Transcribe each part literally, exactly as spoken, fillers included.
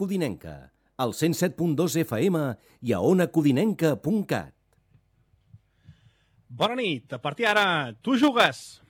Codinenca, al cent set punt dos F M i a ona codinenca punt cat. Bona nit, a partir d'ara, tu jugues!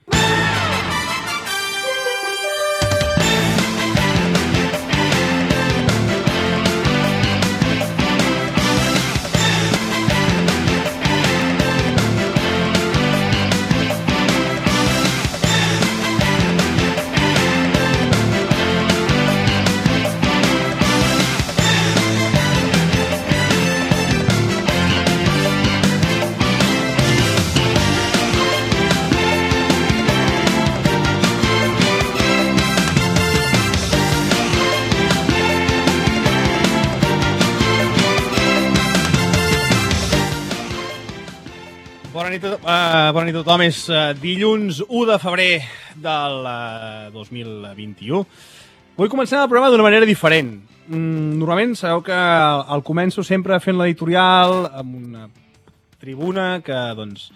Bona nit, uh, bona nit a tothom. És uh, dilluns u de febrer del uh, dos mil vint-i-u. Vull començar el programa d'una manera diferent. Mm, normalment sabeu que el, el començo sempre fent l'editorial amb una tribuna que doncs,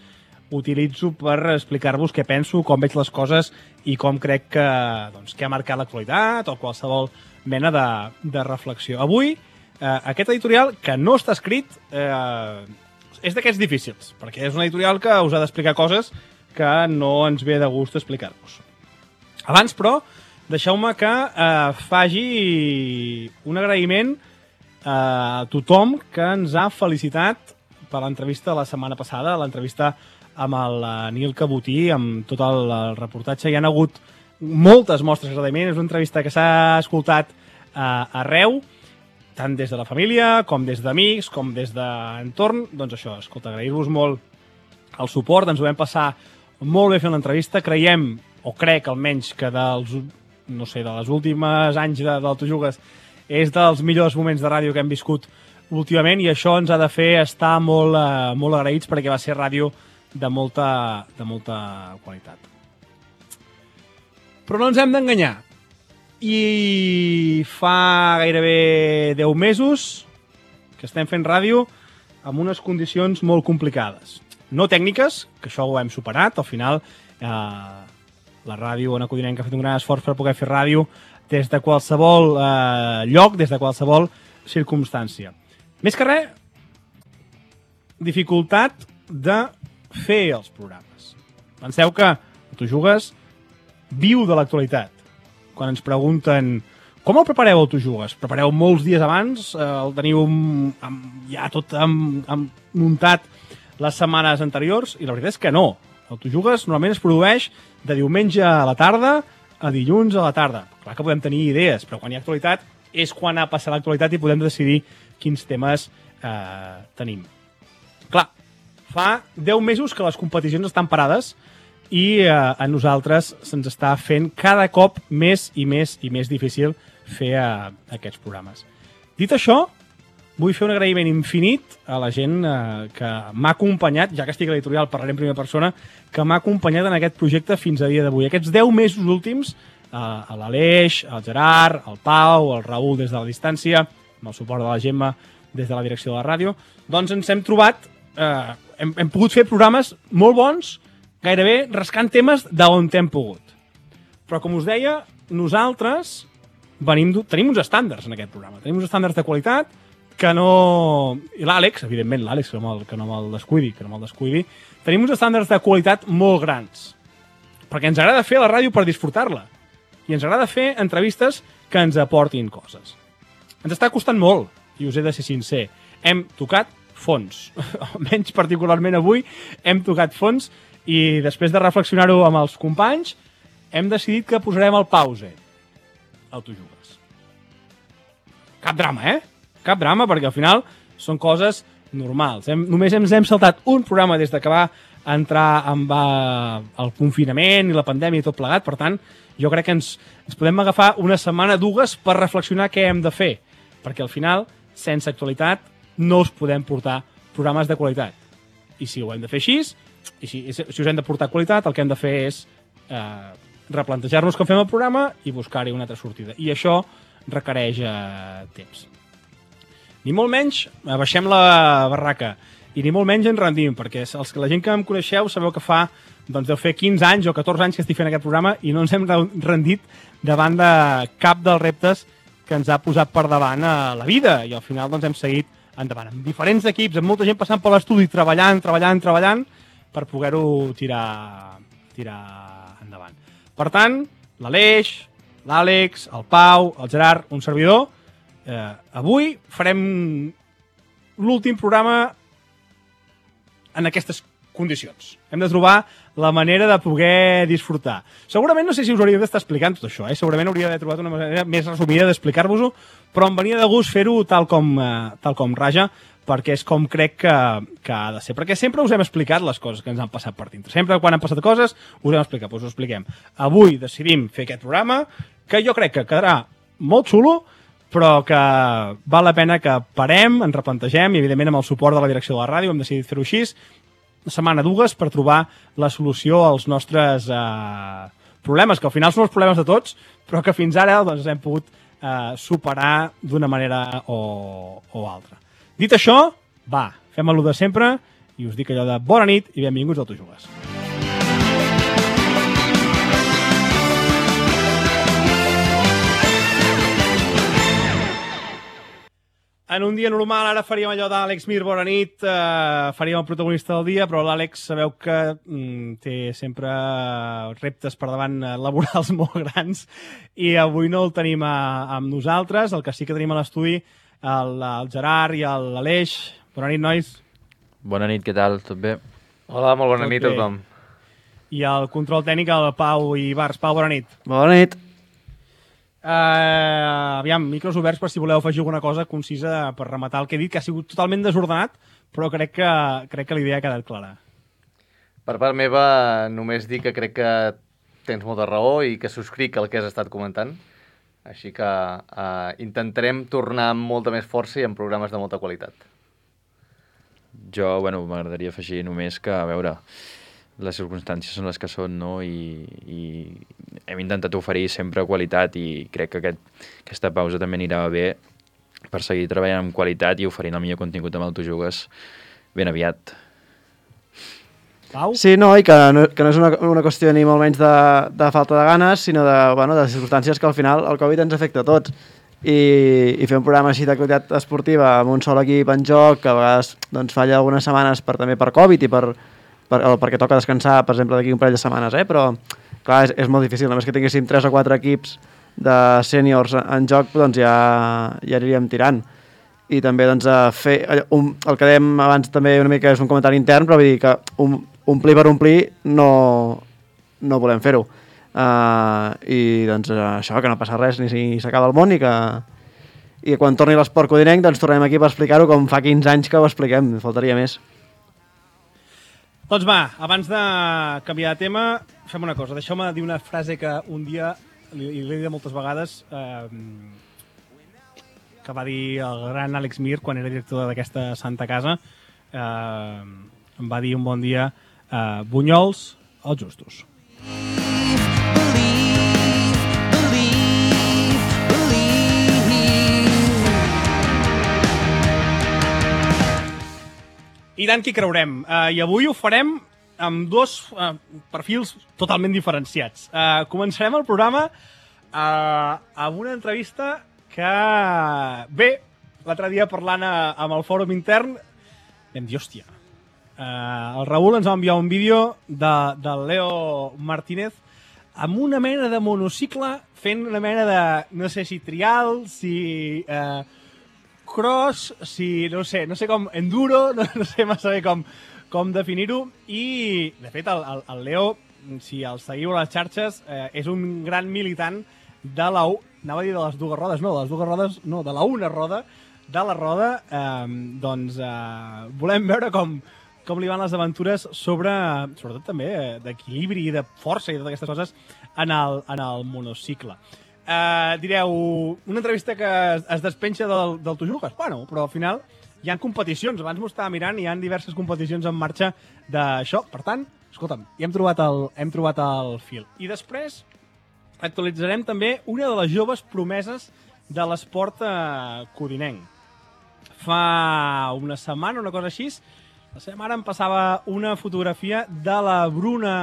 utilitzo per explicar-vos què penso, com veig les coses i com crec que, doncs, que ha marcat l'actualitat o qualsevol mena de, de reflexió. Avui, uh, aquest editorial, que no està escrit, uh, és d'aquests difícils, perquè és un editorial que us ha d'explicar coses que no ens ve de gust explicar-vos. Abans, però, deixeu-me que eh, faci un agraïment a tothom que ens ha felicitat per l'entrevista de la setmana passada, l'entrevista amb el Nil Cabotí, amb tot el, el reportatge. Hi ha hagut moltes mostres d'agraïment, és una entrevista que s'ha escoltat eh, arreu, tant des de la família, com des d'amics, com des d'entorn. Doncs això, escolta, agrair-vos molt el suport, ens ho vam passar molt bé fent l'entrevista. Creiem, o crec almenys, que dels, no sé, de les últimes anys de, del Tu Jugues és dels millors moments de ràdio que hem viscut últimament i això ens ha de fer estar molt, eh, molt agraïts perquè va ser ràdio de molta, de molta qualitat. Però no ens hem d'enganyar. I fa gairebé deu mesos que estem fent ràdio amb unes condicions molt complicades. No tècniques, que això ho hem superat. Al final, eh, la ràdio Ona Codinenca ha fet un gran esforç per poder fer ràdio des de qualsevol eh, lloc, des de qualsevol circumstància. Més que res, dificultat de fer els programes. Penseu que Tu Jugues viu de l'actualitat. Quan ens pregunten com el prepareu el Tu Jugues? Prepareu molts dies abans? Eh, el teniu amb, ja tot amb, amb muntat les setmanes anteriors? I la veritat és que no. El Tu Jugues normalment es produeix de diumenge a la tarda a dilluns a la tarda. Clar que podem tenir idees, però quan hi ha actualitat és quan ha passat l'actualitat i podem decidir quins temes eh, tenim. Clar, fa deu mesos que les competicions estan parades i eh, a nosaltres se'ns està fent cada cop més i més i més difícil fer eh, aquests programes. Dit això, vull fer un agraïment infinit a la gent eh, que m'ha acompanyat, ja que estic a l'editorial, parlaré en primera persona, que m'ha acompanyat en aquest projecte fins a dia d'avui. Aquests deu mesos últims, eh, a l'Aleix, el Gerard, el Pau, el Raül des de la distància, amb el suport de la Gemma des de la direcció de la ràdio, doncs ens hem trobat, eh, hem, hem pogut fer programes molt bons, gairebé rascant temes d'on hem pogut. Però, com us deia, nosaltres venim, tenim uns estàndards en aquest programa. Tenim uns estàndards de qualitat que no... I l'Àlex, evidentment, l'Àlex, que, no que no me'l descuidi, que no me'l descuidi. Tenim uns estàndards de qualitat molt grans. Perquè ens agrada fer la ràdio per disfrutar-la. I ens agrada fer entrevistes que ens aportin coses. Ens està costant molt, i us he de ser sincer. Hem tocat fons. Almenys particularment avui hem tocat fons. I després de reflexionar-ho amb els companys, hem decidit que posarem el pause al Tu Jugues. Cap drama, eh? Cap drama, perquè al final són coses normals. Hem, només ens hem saltat un programa des que va entrar amb uh, el confinament i la pandèmia i tot plegat. Per tant, jo crec que ens, ens podem agafar una setmana, dues, per reflexionar què hem de fer. Perquè al final, sense actualitat, no us podem portar programes de qualitat. I si ho hem de fer així, i si, si us hem de portar qualitat, el que hem de fer és eh, replantejar-nos com fem el programa i buscar-hi una altra sortida. I això requereix eh, temps. Ni molt menys baixem la barraca i ni molt menys ens rendim, perquè els, la gent que em coneixeu sabeu que fa doncs, deu fer quinze anys o catorze anys que estic fent aquest programa i no ens hem rendit davant de cap dels reptes que ens ha posat per davant a la vida, i al final doncs, hem seguit endavant, amb diferents equips, amb molta gent passant per l'estudi, treballant, treballant, treballant, per poder-ho tirar, tirar endavant. Per tant, l'Aleix, l'Àlex, el Pau, el Gerard, un servidor, eh, avui farem l'últim programa en aquestes condicions. Hem de trobar la manera de poder disfrutar. Segurament, no sé si us hauria d'estar explicant tot això, eh? Segurament hauria d'haver trobat una manera més resumida d'explicar-vos-ho, però em venia de gust fer-ho tal com, eh, tal com raja, perquè és com crec que, que ha de ser. Perquè sempre us hem explicat les coses que ens han passat per dintre. Sempre quan han passat coses us hem explicat, doncs us ho expliquem. Avui decidim fer aquest programa, que jo crec que quedarà molt xulo, però que val la pena que parem, ens replantegem, i evidentment amb el suport de la direcció de la ràdio hem decidit fer-ho així, una setmana, dues, per trobar la solució als nostres eh, problemes, que al final són els problemes de tots, però que fins ara doncs, hem pogut eh, superar d'una manera o, o altra. Dit això, va, fem allò de sempre, i us dic allò de bona nit i benvinguts al Tu Jugues. En un dia normal ara faríem allò d'Àlex Mir, bona nit, eh, faríem el protagonista del dia, però l'Àlex sabeu que mm, té sempre reptes per davant eh, laborals molt grans i avui no el tenim a, amb nosaltres. El que sí que tenim a l'estudi, el, el Gerard i l'Aleix. Bona nit, nois. Bona nit, què tal? Tot bé? Hola, molt bona Tot nit bé. a tothom. I el control tècnic, el Pau i Bars. Pau, bona nit. Bona nit. Uh, aviam, micros oberts per si voleu afegir alguna cosa concisa per rematar el que he dit, que ha sigut totalment desordenat, però crec que, crec que la idea ha quedat clara. Per part meva, només dir que crec que tens molta raó i que subscric el que has estat comentant. Així que uh, intentarem tornar amb molta més força i amb programes de molta qualitat. Jo, bueno, m'agradaria afegir només que, a veure, les circumstàncies són les que són, no? I, i hem intentat oferir sempre qualitat i crec que aquest, aquesta pausa també anirà bé per seguir treballant amb qualitat i oferint el millor contingut amb el Tu Jugues ben aviat. Pau? Sí, no, i que no, que no és una, una qüestió ni molt menys de, de falta de ganes, sinó de, bueno, de circumstàncies que al final el Covid ens afecta a tots. I, i fer un programa així de qualitat esportiva amb un sol equip en joc, que a vegades doncs, falla algunes setmanes per, també per Covid i per, per, o perquè toca descansar, per exemple, d'aquí un parell de setmanes, eh? Però clar, és, és molt difícil. Només que tinguéssim tres o quatre equips de sèniors en joc, doncs ja, ja aniríem tirant. I també doncs, fer, un, el que dèiem abans també una mica és un comentari intern, però vull dir que un, omplir per omplir no, no volem fer-ho. Uh, I doncs això, que no passa res ni si s'acaba el món i que, i quan torni l'esport codinenc doncs tornem aquí per explicar-ho com fa quinze anys que ho expliquem, faltaria més. Doncs va, abans de canviar de tema, fem una cosa. Deixeu-me dir una frase que un dia, li, li he dit moltes vegades, eh, que va dir el gran Àlex Mir quan era director d'aquesta Santa Casa. Eh, em va dir un bon dia, eh, bunyols als justos. I tant que hi creurem. Uh, I avui ho farem amb dos uh, perfils totalment diferenciats. Uh, començarem el programa uh, amb una entrevista que, bé, l'altre dia parlant a, amb el fòrum intern, vam dir, hòstia, uh, el Raül ens va enviar un vídeo de, del Leo Martínez amb una mena de monocicle fent una mena de, no sé si trial, si... Uh, cross, si, no sé, no sé com, enduro, no, no sé massa bé com, com definir-ho, i, de fet, el, el, el Leo, si el seguiu a les xarxes, eh, és un gran militant de la... Anava a dir de les dues rodes, no, de les dues rodes, no, de la una roda, de la roda, eh, doncs eh, volem veure com, com li van les aventures sobre, sobretot també, eh, d'equilibri i de força i totes aquestes coses en el, en el monocicle. Uh, direu, una entrevista que es, es despenja del, del Tu Jugues? Bueno, però al final hi ha competicions. Abans m'ho estava mirant i hi ha diverses competicions en marxa d'això. Per tant, escolta'm, ja hem trobat el, hem trobat el fil. I després actualitzarem també una de les joves promeses de l'esport uh, codinenc. Fa una setmana, una cosa així, la seva mare em passava una fotografia de la Bruna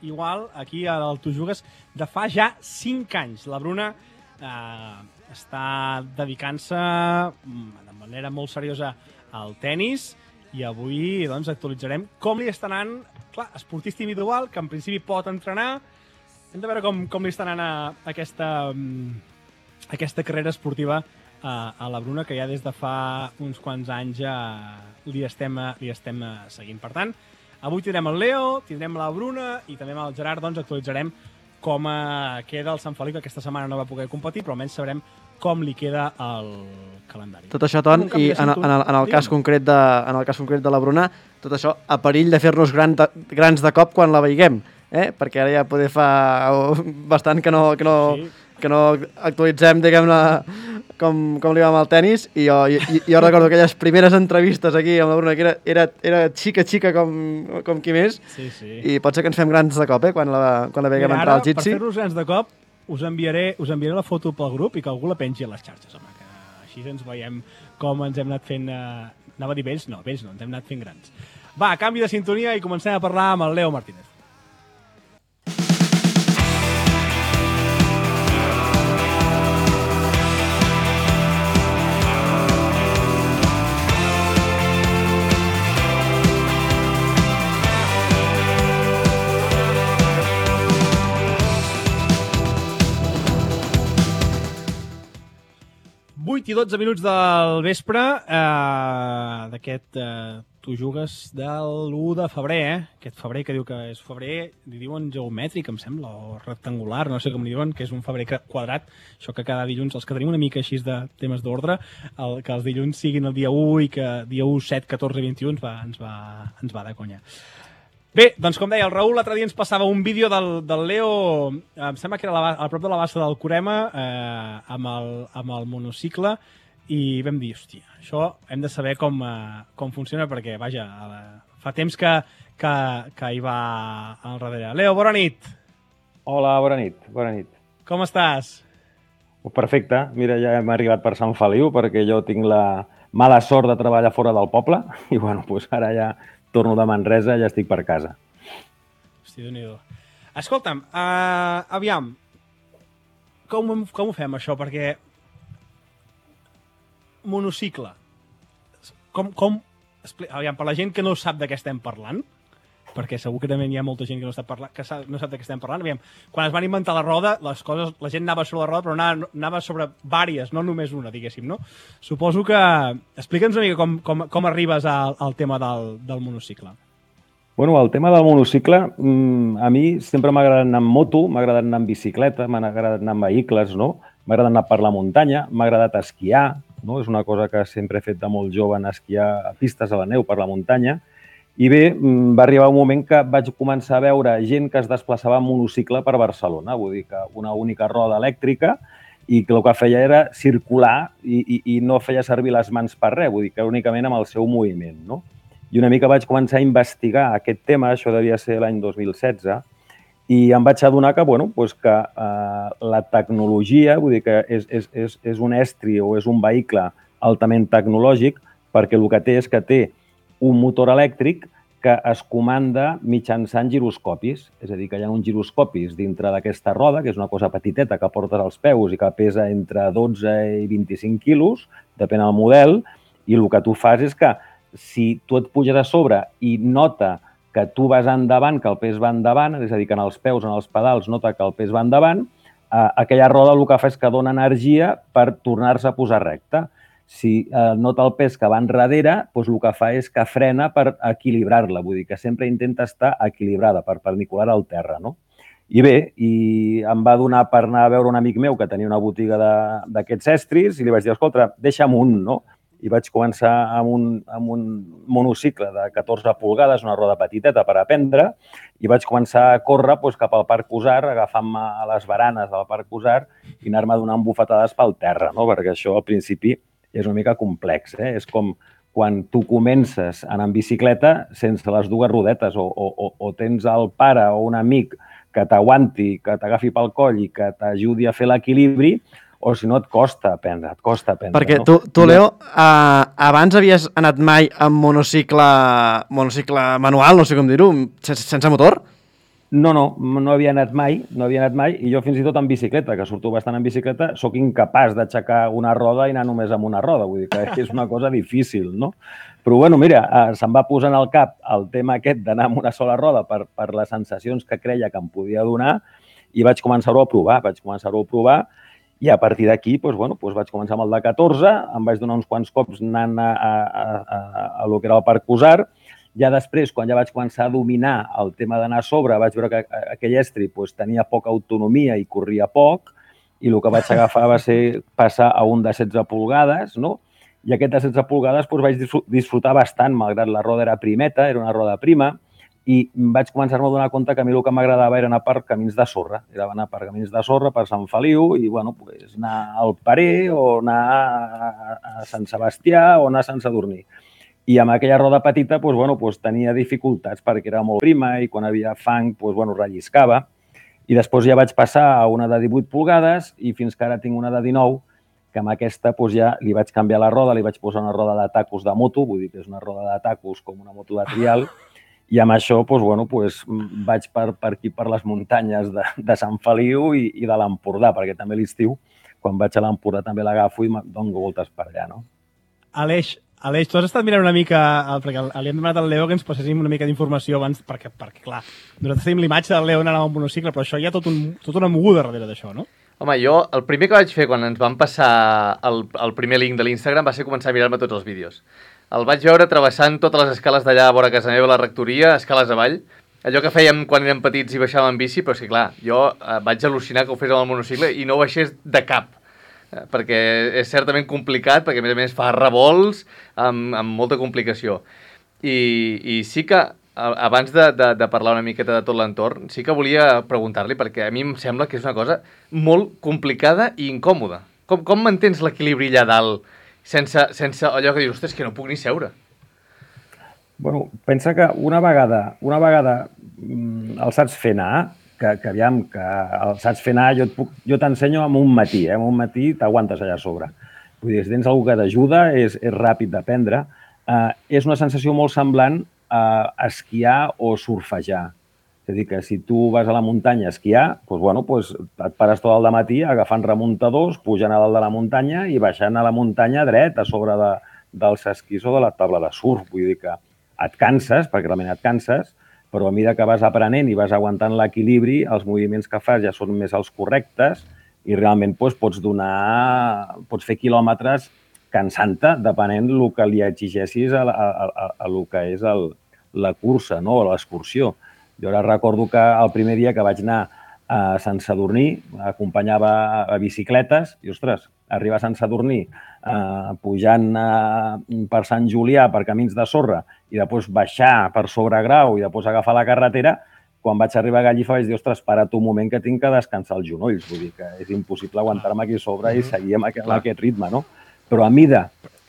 igual, aquí al Tu Jugues, de fa ja cinc anys. La Bruna, eh, està dedicant-se de manera molt seriosa al tennis i avui doncs, actualitzarem com li està anant, clar, esportista individual, que en principi pot entrenar. Hem de veure com, com li està anant a, a aquesta, a aquesta carrera esportiva a, a la Bruna, que ja des de fa uns quants anys ja li estem, li estem seguint. Per tant, avui tindrem el Leo, tindrem la Bruna i també amb el Gerard doncs, actualitzarem com queda el Sant Feliu, que aquesta setmana no va poder competir, però almenys sabrem com li queda el calendari. Tot això, Ton, i en, en, el, en, el cas concret de, en el cas concret de la Bruna, tot això a perill de fer-nos gran de, grans de cop quan la veiguem, eh? Perquè ara ja poder fa bastant que no, que no, sí. que no actualitzem, diguem-ne, com, com li va amb el tennis, i jo, i, jo recordo aquelles primeres entrevistes aquí amb la Bruna, que era, era, era xica, xica com, com qui més, sí, sí. I pot ser que ens fem grans de cop, eh? Quan la, quan la veiguem Mira, entrar al Jitsi. Per fer-nos grans de cop, us enviaré, us enviaré la foto pel grup i que algú la pengi a les xarxes, home, que així ens veiem com ens hem anat fent... Eh, anava a dir vells? No, vells no, ens hem anat fent grans. Va, canvi de sintonia i comencem a parlar amb el Leo Martínez. vuit i dotze minuts del vespre eh, d'aquest... Eh, tu jugues de l'u de febrer, eh? Aquest febrer que diu que és febrer, li diuen geomètric, em sembla, o rectangular, no sé com li diuen, que és un febrer quadrat, això que cada dilluns, els que tenim una mica així de temes d'ordre, que els dilluns siguin el dia u i que dia u, set, catorze, vint-i-u ens va, ens va, ens va de conya. Bé, doncs com deia, el Raül l'altre dia ens passava un vídeo del, del Leo, em sembla que era la, a prop de la bassa del Corema, eh, amb, el, amb el monocicle, i vam dir, hòstia, això hem de saber com, eh, com funciona, perquè, vaja, la, fa temps que, que, que hi va al darrere. Leo, bona nit. Hola, bona nit, bona nit. Com estàs? Perfecte, mira, ja hem arribat per Sant Feliu, perquè jo tinc la mala sort de treballar fora del poble, i bueno, doncs ara ja... torno de Manresa, ja estic per casa. Hosti, Déu-n'hi-do. Escolta'm, uh, aviam, com, com ho fem, això? Perquè monocicle, com, com, aviam, per la gent que no sap de què estem parlant, perquè segur que també hi ha molta gent que no sap, parlar, que no sap de què estem parlant, aviam, quan es van inventar la roda, les coses, la gent anava sobre la roda, però anava, anava sobre vàries, no només una, diguéssim, no? Suposo que... Explica'ns una mica com, com, com arribes al, al tema del, del monocicle. Bueno, el tema del monocicle, a mi sempre m'ha agradat anar amb moto, m'ha agradat anar amb bicicleta, m'ha agradat anar amb vehicles, no? M'ha agradat anar per la muntanya, m'ha agradat esquiar, no? És una cosa que sempre he fet de molt jove, anar a esquiar a pistes a la neu per la muntanya. I bé, va arribar un moment que vaig començar a veure gent que es desplaçava en monocicle per Barcelona, vull dir que una única roda elèctrica i que el que feia era circular i, i, i no feia servir les mans per res, vull dir que únicament amb el seu moviment, no? I una mica vaig començar a investigar aquest tema, això devia ser l'any dos mil setze, i em vaig adonar que, bueno, doncs que eh, la tecnologia, vull dir que és, és, és, és un estri o és un vehicle altament tecnològic, perquè el que té és que té un motor elèctric que es comanda mitjançant giroscopis. És a dir, que hi ha uns giroscopis dintre d'aquesta roda, que és una cosa petiteta que portes als peus i que pesa entre dotze i vint-i-cinc quilos, depèn del model, i el que tu fas és que si tu et puges a sobre i nota que tu vas endavant, que el pes va endavant, és a dir, que en els peus, en els pedals, nota que el pes va endavant, eh, aquella roda el que fa és que dona energia per tornar-se a posar recta. Si eh, nota el pes que va enrere, doncs el que fa és que frena per equilibrar-la. Vull dir que sempre intenta estar equilibrada, perpendicular al terra, no? I bé, i em va donar per anar a veure un amic meu que tenia una botiga d'aquests estris i li vaig dir, escolta, deixa'm un, no? I vaig començar amb un, amb un monocicle de catorze polgades, una roda petiteta per aprendre, i vaig començar a córrer doncs, cap al Parc Usar, agafant-me a les baranes del Parc Usar i anar-me donant bufetades pel terra, no? Perquè això al principi és una mica complex, eh? És com quan tu comences a anar en bicicleta sense les dues rodetes o, o, o tens el pare o un amic que t'aguanti, que t'agafi pel coll i que t'ajudi a fer l'equilibri, o si no et costa aprendre, et costa aprendre. Perquè no? tu, tu Leo, uh, abans havies anat mai amb monocicle, monocicle manual, no sé com dir-ho, sense, sense motor? No, no, no havia anat mai, no havia anat mai, i jo fins i tot en bicicleta, que surto bastant en bicicleta, sóc incapaç d'aixecar una roda i anar només amb una roda, vull dir que és una cosa difícil, no? Però, bueno, mira, se'm va posar en el cap el tema aquest d'anar amb una sola roda per, per les sensacions que creia que em podia donar i vaig començar-ho a provar, vaig començar-ho a provar i a partir d'aquí, doncs, bueno, doncs vaig començar amb el de catorze, em vaig donar uns quants cops anant a, a, a, a, a lo que era el Parc Cusar. Ja després, quan ja vaig començar a dominar el tema d'anar a sobre, vaig veure que aquell estri doncs, tenia poca autonomia i corria poc, i el que vaig agafar va ser passar a un de setze polgades, no? I aquest de setze polgades doncs, vaig disfrutar bastant, malgrat la roda era primeta, era una roda prima, i vaig començar-me a donar compte que a mi el que m'agradava era anar per camins de sorra. Era anar per camins de sorra, per Sant Feliu, i bueno, doncs, anar al Parer, o anar a Sant Sebastià, o anar a Sant Sadurní. I amb aquella roda petita doncs, bueno, doncs, tenia dificultats perquè era molt prima i quan havia fang doncs, bueno, relliscava. I després ja vaig passar a una de divuit polgades i fins que ara tinc una de dinou, que amb aquesta doncs, ja li vaig canviar la roda, li vaig posar una roda de tacos de moto, vull dir que és una roda de tacos com una moto de trial, i amb això doncs, bueno, doncs, vaig per, per aquí, per les muntanyes de, de Sant Feliu i, i de l'Empordà, perquè també l'estiu, quan vaig a l'Empordà també l'agafo i dono voltes per allà, no? Aleix, Aleix, tu has estat mirant una mica, perquè li hem demanat al Leo que ens passéssim una mica d'informació abans, perquè, perquè, clar, nosaltres tenim l'imatge del Leo anant amb un monocicle, però això hi ha tot un, tota una moguda darrere d'això, no? Home, jo, el primer que vaig fer quan ens van passar el, el primer link de l'Instagram va ser començar a mirar-me tots els vídeos. El vaig veure travessant totes les escales d'allà a vora casa meva, la rectoria, escales avall, allò que fèiem quan érem petits i baixàvem en bici, però és que, clar, jo eh, vaig al·lucinar que ho fes amb el monocicle i no ho baixés de cap, perquè és certament complicat, perquè a més a més fa revolts amb, amb molta complicació. I, i sí que, abans de, de, de parlar una miqueta de tot l'entorn, sí que volia preguntar-li, perquè a mi em sembla que és una cosa molt complicada i incòmoda. Com, com mantens l'equilibri allà dalt sense, sense allò que dius, ostres, que no puc ni seure? Bueno, pensa que una vegada, una vegada el saps fer anar, que, que aviam, que el saps fer anar, jo, jo t'ensenyo amb un matí, eh? Amb un matí t'aguantes allà a sobre. Vull dir, si tens algú que t'ajuda, és, és ràpid d'aprendre. Uh, és una sensació molt semblant a esquiar o surfejar. És a dir, que si tu vas a la muntanya a esquiar, doncs, bueno, doncs et pares tot el dematí agafant remuntadors, pujant a dalt de la muntanya i baixant a la muntanya dret a sobre de, dels esquís o de la taula de surf. Vull dir que et canses, perquè realment et canses, però a mesura que vas aprenent i vas aguantant l'equilibri, els moviments que fas ja són més els correctes i realment doncs, pots donar, pots fer quilòmetres cansant-te, depenent del que li exigeixis a, a, a, a el que és el, la cursa, no? O l'excursió. Jo ara recordo que el primer dia que vaig anar a Sant Sadurní, acompanyava a bicicletes i, ostres, arribar a Sant Sadurní eh, pujant eh, per Sant Julià per camins de sorra i després baixar per sobre Grau i després agafar la carretera, quan vaig arribar a Gallifa vaig dir, ostres, espera't un moment que tinc que descansar els genolls. Vull dir que és impossible aguantar-me aquí a sobre i seguir amb aquest, aquest ritme, no? Però a mida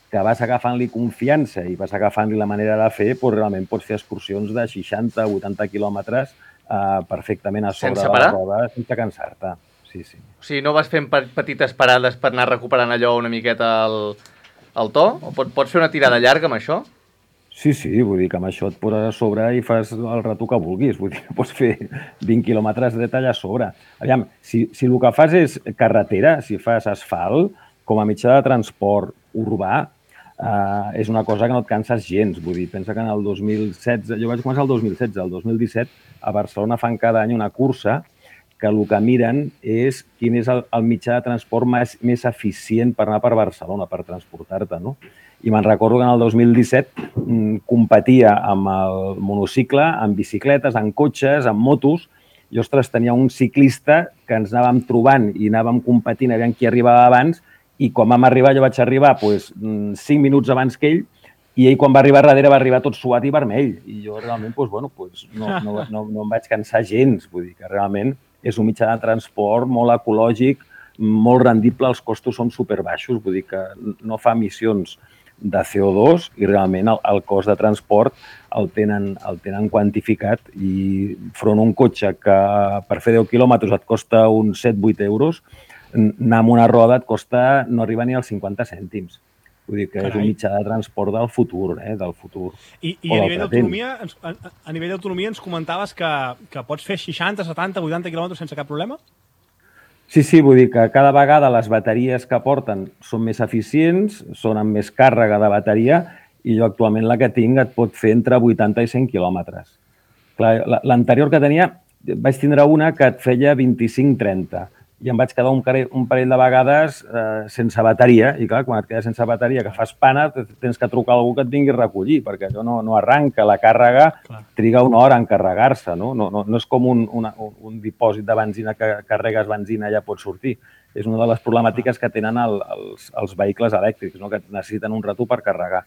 que vas agafant-li confiança i vas agafant-li la manera de fer, doncs realment pots fer excursions de seixanta a vuitanta quilòmetres eh, perfectament a sobre de la roda sense cansar-te. Sí, sí. O sigui, no vas fent petites parades per anar recuperant allò una miqueta el, el to? O pot, pots fer una tirada llarga amb això? Sí, sí, vull dir que amb això et poses a sobre i fas el rato que vulguis. Vull dir que pots fer vint quilòmetres dret allà a sobre. Aviam, si, si el que fas és carretera, si fas asfalt, com a mitjà de transport urbà, eh, és una cosa que no et canses gens. Vull dir, pensa que en el dos mil setze, jo vaig començar el dos mil setze, el dos mil disset, a Barcelona fan cada any una cursa que el que miren és quin és el, el mitjà de transport més, més eficient per anar per Barcelona, per transportar-te, no? I me'n recordo que en el dos mil disset mm, competia amb el monocicle, amb bicicletes, amb cotxes, amb motos, i, ostres, tenia un ciclista que ens anàvem trobant i anàvem competint a veure qui arribava abans, i quan vam arribar, jo vaig arribar doncs, cinc minuts abans que ell, i ell quan va arribar darrere va arribar tot suat i vermell. I jo realment doncs, bueno, doncs, no, no, no, no em vaig cansar gens, vull dir que realment és un mitjà de transport molt ecològic, molt rendible, els costos són superbaixos, vull dir que no fa emissions de C O dos i realment el, el cost de transport el tenen, el tenen quantificat i front a un cotxe que per fer deu quilòmetres et costa uns set vuit euros, anar amb una roda et costa no arriba ni als cinquanta cèntims. Vull dir que Carai. és un mitjà de transport del futur, eh? del futur. I, i O a del nivell present. d'autonomia ens- a, a- a nivell d'autonomia ens comentaves que, que pots fer seixanta, setanta, vuitanta quilòmetres sense cap problema? Sí, sí, vull dir que cada vegada les bateries que porten són més eficients, són amb més càrrega de bateria i jo actualment la que tinc et pot fer entre vuitanta i cent quilòmetres. Clar, la- l'anterior que tenia, vaig tindre una que et feia vint-i-cinc trenta i em vaig quedar un parell, un parell de vegades eh, sense bateria i clar, quan et quedes sense bateria que fas pana tens que trucar a algú que et vingui a recollir perquè allò no, no arranca, la càrrega Clar. triga una hora en carregar-se, no? No, no, no és com un, una, un dipòsit de benzina que carregues benzina i ja pots sortir. És una de les problemàtiques que tenen el, els, els vehicles elèctrics, no? Que necessiten un rato per carregar.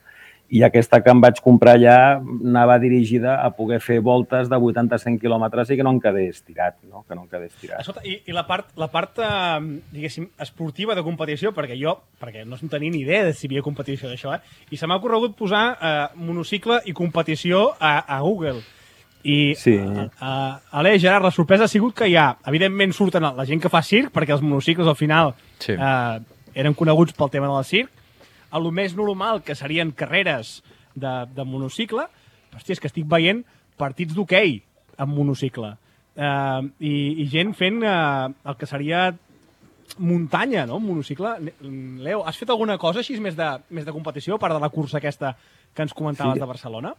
I aquesta que em vaig comprar ja anava dirigida a poder fer voltes de vuitanta a cent quilòmetres i que no em quedés tirat, no? Que no em quedés tirat. Escolta, i, i la part, la part eh, diguéssim, esportiva de competició, perquè jo, perquè no tenia ni idea de si hi havia competició d'això, eh? I se m'ha ocorregut posar eh, monocicle i competició a, a Google. I, Sí. a, a, Aleix, Gerard, la sorpresa ha sigut que hi ha, evidentment surten la gent que fa circ, perquè els monocicles al final Sí. eh, eren coneguts pel tema del circ, a lo més normal, que serien carreres de, de monocicle, hòstia, és que estic veient partits d'hoquei amb monocicle. Eh, i, I gent fent eh, el que seria muntanya, no? Monocicle. Leo, has fet alguna cosa així més de, més de competició, a part de la cursa aquesta que ens comentaves Sí. de Barcelona?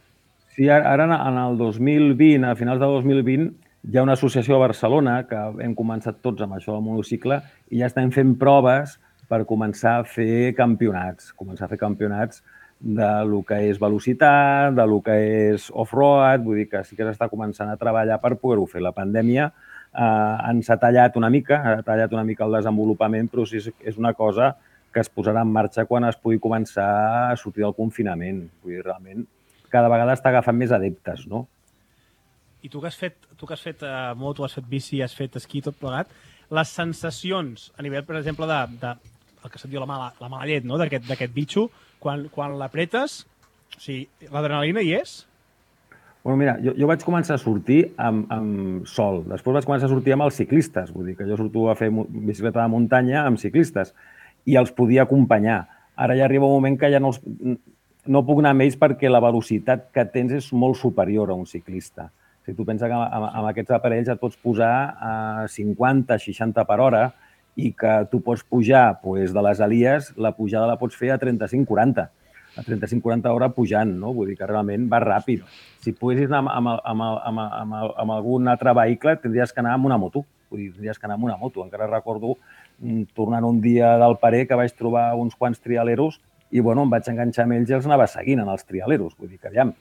Sí, ara en el dos mil vint, a finals de dos mil vint, hi ha una associació a Barcelona que hem començat tots amb això del monocicle i ja estem fent proves per començar a fer campionats, començar a fer campionats de lo que és velocitat, de lo que és off-road, vull dir que sí que s'està començant a treballar per poder-ho fer. La pandèmia eh, ens ha tallat una mica, ha tallat una mica el desenvolupament, però sí és una cosa que es posarà en marxa quan es pugui començar a sortir del confinament. Vull dir, realment, cada vegada està agafant més adeptes, no? I tu que has fet, tu que has fet uh, moto, has fet bici, has fet esquí, tot plegat, les sensacions a nivell, per exemple, de, de el que se't diu la mala, la mala llet, no? d'aquest d'aquest bitxo, quan, quan l'apretes, o sigui, l'adrenalina hi és? Bueno, mira, jo, jo vaig començar a sortir amb, amb sol. Després vaig començar a sortir amb els ciclistes. Vull dir que jo surto a fer bicicleta de muntanya amb ciclistes i els podia acompanyar. Ara ja arriba un moment que ja no, els, no puc anar amb ells perquè la velocitat que tens és molt superior a un ciclista. Si tu penses que amb, amb aquests aparells et pots posar a cinquanta, seixanta per hora i que tu pots pujar pues, de les Alies, la pujada la pots fer a trenta-cinc quaranta. A trenta-cinc quaranta hora pujant, no? Vull dir que realment va ràpid. Si poguessis anar amb, amb, amb, amb, amb, amb algun altre vehicle, tindries que anar amb una moto. Vull dir, tindries que anar amb una moto. Encara recordo, tornant un dia del Parer, que vaig trobar uns quants trialeros i bueno, em vaig enganxar amb ells i els anava seguint en els trialeros. Vull dir que, aviam,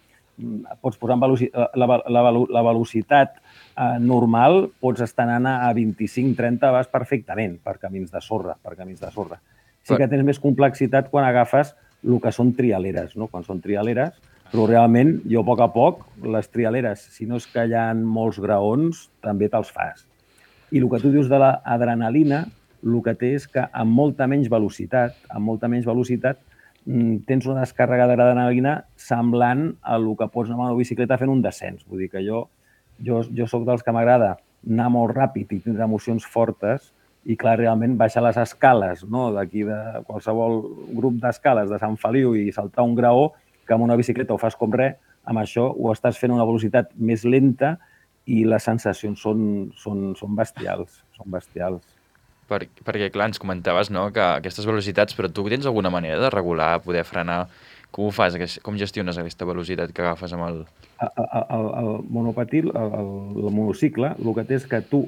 pots posar en veloci la, la, la, la velocitat eh, normal, pots estar anant a vint-i-cinc trenta, vas perfectament per camins de sorra, per camins de sorra. Sí que tens més complexitat quan agafes el que són trialeres, no? Quan són trialeres, però realment jo a poc a poc les trialeres, si no és que hi ha molts graons, també te'ls fas. I el que tu dius de l'adrenalina, el que té és que amb molta menys velocitat, amb molta menys velocitat, tens una descàrrega d'adrenalina semblant a el que pots anar amb una bicicleta fent un descens. Vull dir que jo, jo, jo soc dels que m'agrada anar molt ràpid i tindre emocions fortes i, clar, realment baixar les escales, no? D'aquí de qualsevol grup d'escales de Sant Feliu i saltar un graó, que amb una bicicleta ho fas com res, amb això ho estàs fent a una velocitat més lenta i les sensacions són, són, són bestials, són bestials. Per, perquè, clar, ens comentaves, no?, que aquestes velocitats, però tu tens alguna manera de regular, poder frenar? Com ho fas? Com gestiones aquesta velocitat que agafes amb el... El, el, el monopatil, el, el monocicle, el que té és que tu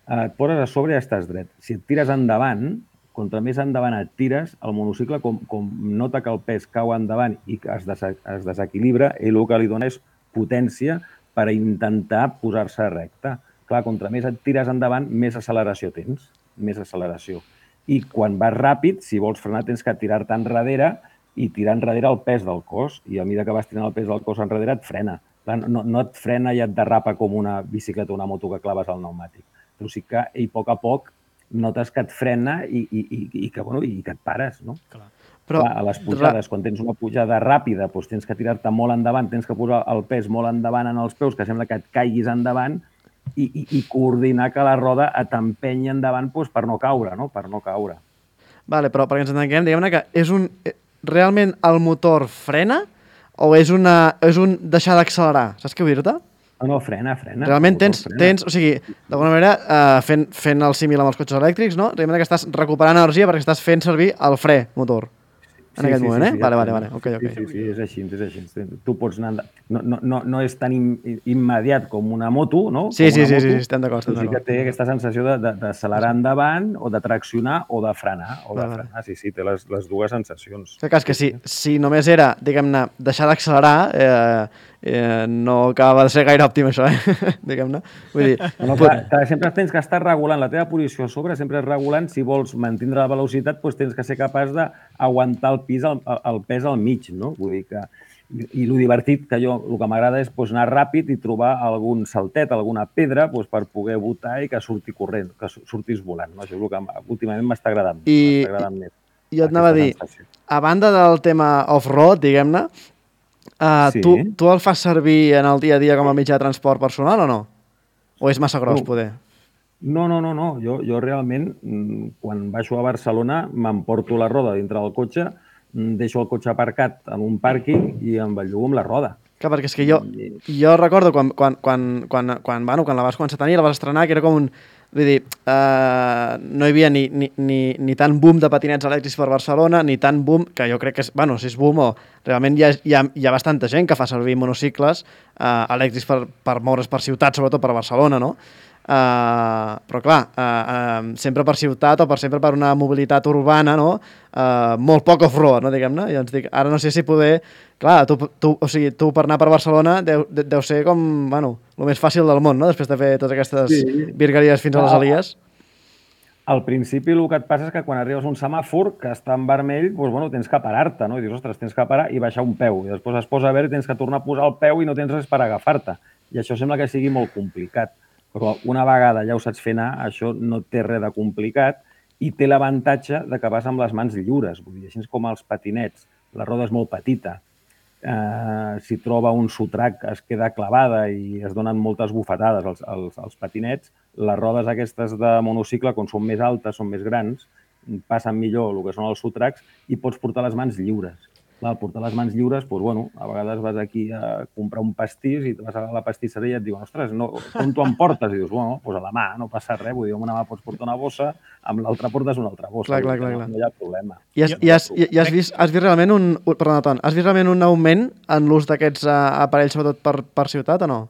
et poses a sobre i estàs dret. Si et tires endavant, contra més endavant et tires, el monocicle, com, com nota que el pes cau endavant i que es, des, es desequilibra, ell el que li dona és potència per intentar posar-se recte. Clar, contra més et tires endavant, més acceleració tens. més acceleració. I quan vas ràpid, si vols frenar, tens que tirar-te enrere i tirar enrere el pes del cos. I a mesura que vas tirant el pes del cos enrere, et frena. No, no et frena i et derrapa com una bicicleta o una moto que claves al pneumàtic. Però sí que ell, a poc a poc, notes que et frena i, i, i, i, que, bueno, i que et pares, no? Clar. Però, clar, a les pujades, quan tens una pujada ràpida, doncs tens que tirar-te molt endavant, tens que posar el pes molt endavant en els peus, que sembla que et caiguis endavant, I, i, i coordinar que la roda et empenyi endavant doncs, per no caure, no? Per no caure. Vale, però perquè ens entenguem, diguem-ne que és un, realment el motor frena o és, una, és un deixar d'accelerar? Saps què vull dir-te? No, no, frena, frena. Realment tens, tens, o sigui, d'alguna manera, uh, fent, fent el símil amb els cotxes elèctrics, no? Realment que estàs recuperant energia perquè estàs fent servir el fre motor. En sí, aquest sí, moment, sí, eh? Sí, vale, vale, vale. Okay, okay. Sí, sí, sí, és així, és així. Tu pots anar... No, no, no, no és tan im immediat com una moto, no? Sí, sí, sí, sí, sí, estem d'acord. Sí que té aquesta sensació d'accelerar endavant o de traccionar o de frenar. O de vale, frenar, sí, sí, té les, les dues sensacions. El cas que si, si només era, diguem-ne, deixar d'accelerar, eh, eh, no acaba de ser gaire òptim això, eh? Diguem-ne. Vull dir... No, no, clar, clar, sempre tens que estar regulant la teva posició a sobre, sempre és regulant, si vols mantindre la velocitat, doncs tens que ser capaç d'aguantar el pis, el, el pes al mig, no? Vull dir que... I, i el divertit que jo, el que m'agrada és doncs, anar ràpid i trobar algun saltet, alguna pedra doncs, per poder botar i que surti corrent, que surtis volant. No? Això és el que últimament m'està agradant, I, agradant més. I et anava a dir, sensació. A banda del tema off-road, diguem-ne, uh, sí. tu, tu el fas servir en el dia a dia com a mitjà de transport personal o no? O és massa gros, no. poder? No, no, no, no. Jo, jo realment, quan baixo a Barcelona, m'emporto la roda dintre del cotxe, deixo el cotxe aparcat en un pàrquing i em bellugo amb la roda. Clar, perquè és que jo, jo recordo quan, quan, quan, quan, quan, bueno, quan la vas començar a tenir, la vas estrenar, que era com un... Vull dir, uh, no hi havia ni, ni, ni, ni tant boom de patinets elèctrics per Barcelona, ni tant boom, que jo crec que és... Bueno, si és boom o... Realment hi ha, hi ha, hi ha bastanta gent que fa servir monocicles uh, elèctrics per, per moure's per ciutat, sobretot per Barcelona, no? Uh, però clar, uh, uh, sempre per ciutat o per sempre per una mobilitat urbana, no? Uh, molt poc off-road, no, diguem-ne? I ens dic, ara no sé si poder... Clar, tu, tu, o sigui, tu per anar per Barcelona deu, deu ser com, bueno, el més fàcil del món, no? Després de fer totes aquestes sí. virgueries fins a les Alies. Al principi el que et passa és que quan arribes a un semàfor que està en vermell, doncs, bueno, tens que parar-te, no? I dius, ostres, tens que parar i baixar un peu. I després es posa a veure i tens que tornar a posar el peu i no tens res per agafar-te. I això sembla que sigui molt complicat. Però una vegada ja ho saps fer anar, això no té res de complicat i té l'avantatge de que vas amb les mans lliures. Vull dir, així com els patinets, la roda és molt petita. Eh, si troba un sotrac es queda clavada i es donen moltes bufetades als, als, als patinets. Les rodes aquestes de monocicle, quan són més altes, són més grans, passen millor el que són els sotracs i pots portar les mans lliures. Clar, al portar les mans lliures, doncs, bueno, a vegades vas aquí a comprar un pastís i vas a la pastisseria i et diuen, ostres, no, com t'ho emportes? I dius, bueno, doncs a la mà, no passa res, vull dir, amb una mà pots portar una bossa, amb l'altra portes una altra bossa. Clar, clar, clar, no, clar. no hi ha problema. I has, i has, i has, vist, has vist realment un... Perdona, Ton, has vist realment un augment en l'ús d'aquests uh, aparells, sobretot per, per ciutat, o no?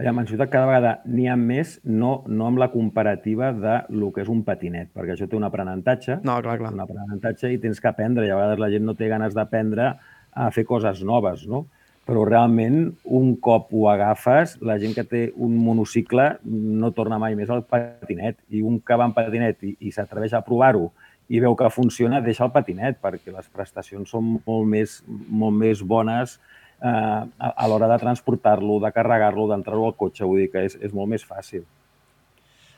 Allà, en ciutat cada vegada n'hi ha més, no, no amb la comparativa de lo que és un patinet, perquè això té un aprenentatge, no, clar, clar. un aprenentatge i tens que aprendre, i a vegades la gent no té ganes d'aprendre a fer coses noves, no? Però realment, un cop ho agafes, la gent que té un monocicle no torna mai més al patinet, i un que va en patinet i, i s'atreveix a provar-ho i veu que funciona, deixa el patinet, perquè les prestacions són molt més, molt més bones eh, a, a l'hora de transportar-lo, de carregar-lo, d'entrar-lo al cotxe. Vull dir que és, és molt més fàcil.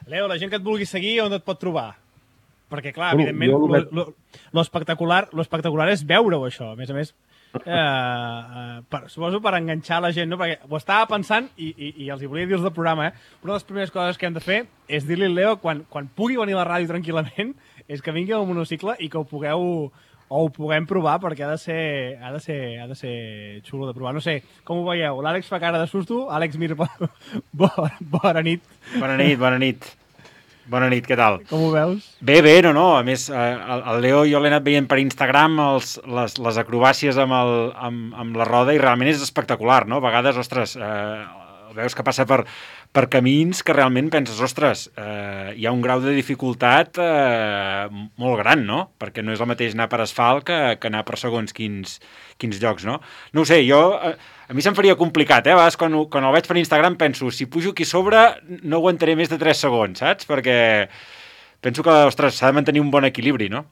Leo, la gent que et vulgui seguir, on et pot trobar? Perquè, clar, bueno, evidentment, lo, lo, lo, espectacular, lo espectacular és veure-ho, això. A més a més, eh, eh, per, suposo per enganxar la gent, no? Perquè ho estava pensant, i, i, i els hi volia dir-los del programa, eh? Una de les primeres coses que hem de fer és dir-li al Leo, quan, quan pugui venir a la ràdio tranquil·lament, és que vingui al monocicle i que ho pugueu... o ho puguem provar, perquè ha de ser, ha de ser, ha de ser xulo de provar. No sé, com ho veieu? L'Àlex fa cara de susto. Àlex Mir, bona, bona nit. Bona nit, bona nit. Bona nit, què tal? Com ho veus? Bé, bé, no, no. A més, el, el Leo jo l'he anat veient per Instagram, els, les, les acrobàcies amb, el, amb, amb la roda, i realment és espectacular, no? A vegades, ostres, eh, veus que passa per... per camins que realment penses, ostres, eh, hi ha un grau de dificultat eh, molt gran, no? Perquè no és el mateix anar per asfalt que, que anar per segons quins, quins llocs, no? No ho sé, jo, eh, a mi se'm faria complicat, eh? A vegades quan, quan el veig per Instagram penso, si pujo aquí sobre no aguantaré més de tres segons, saps? Perquè penso que, ostres, s'ha de mantenir un bon equilibri, no?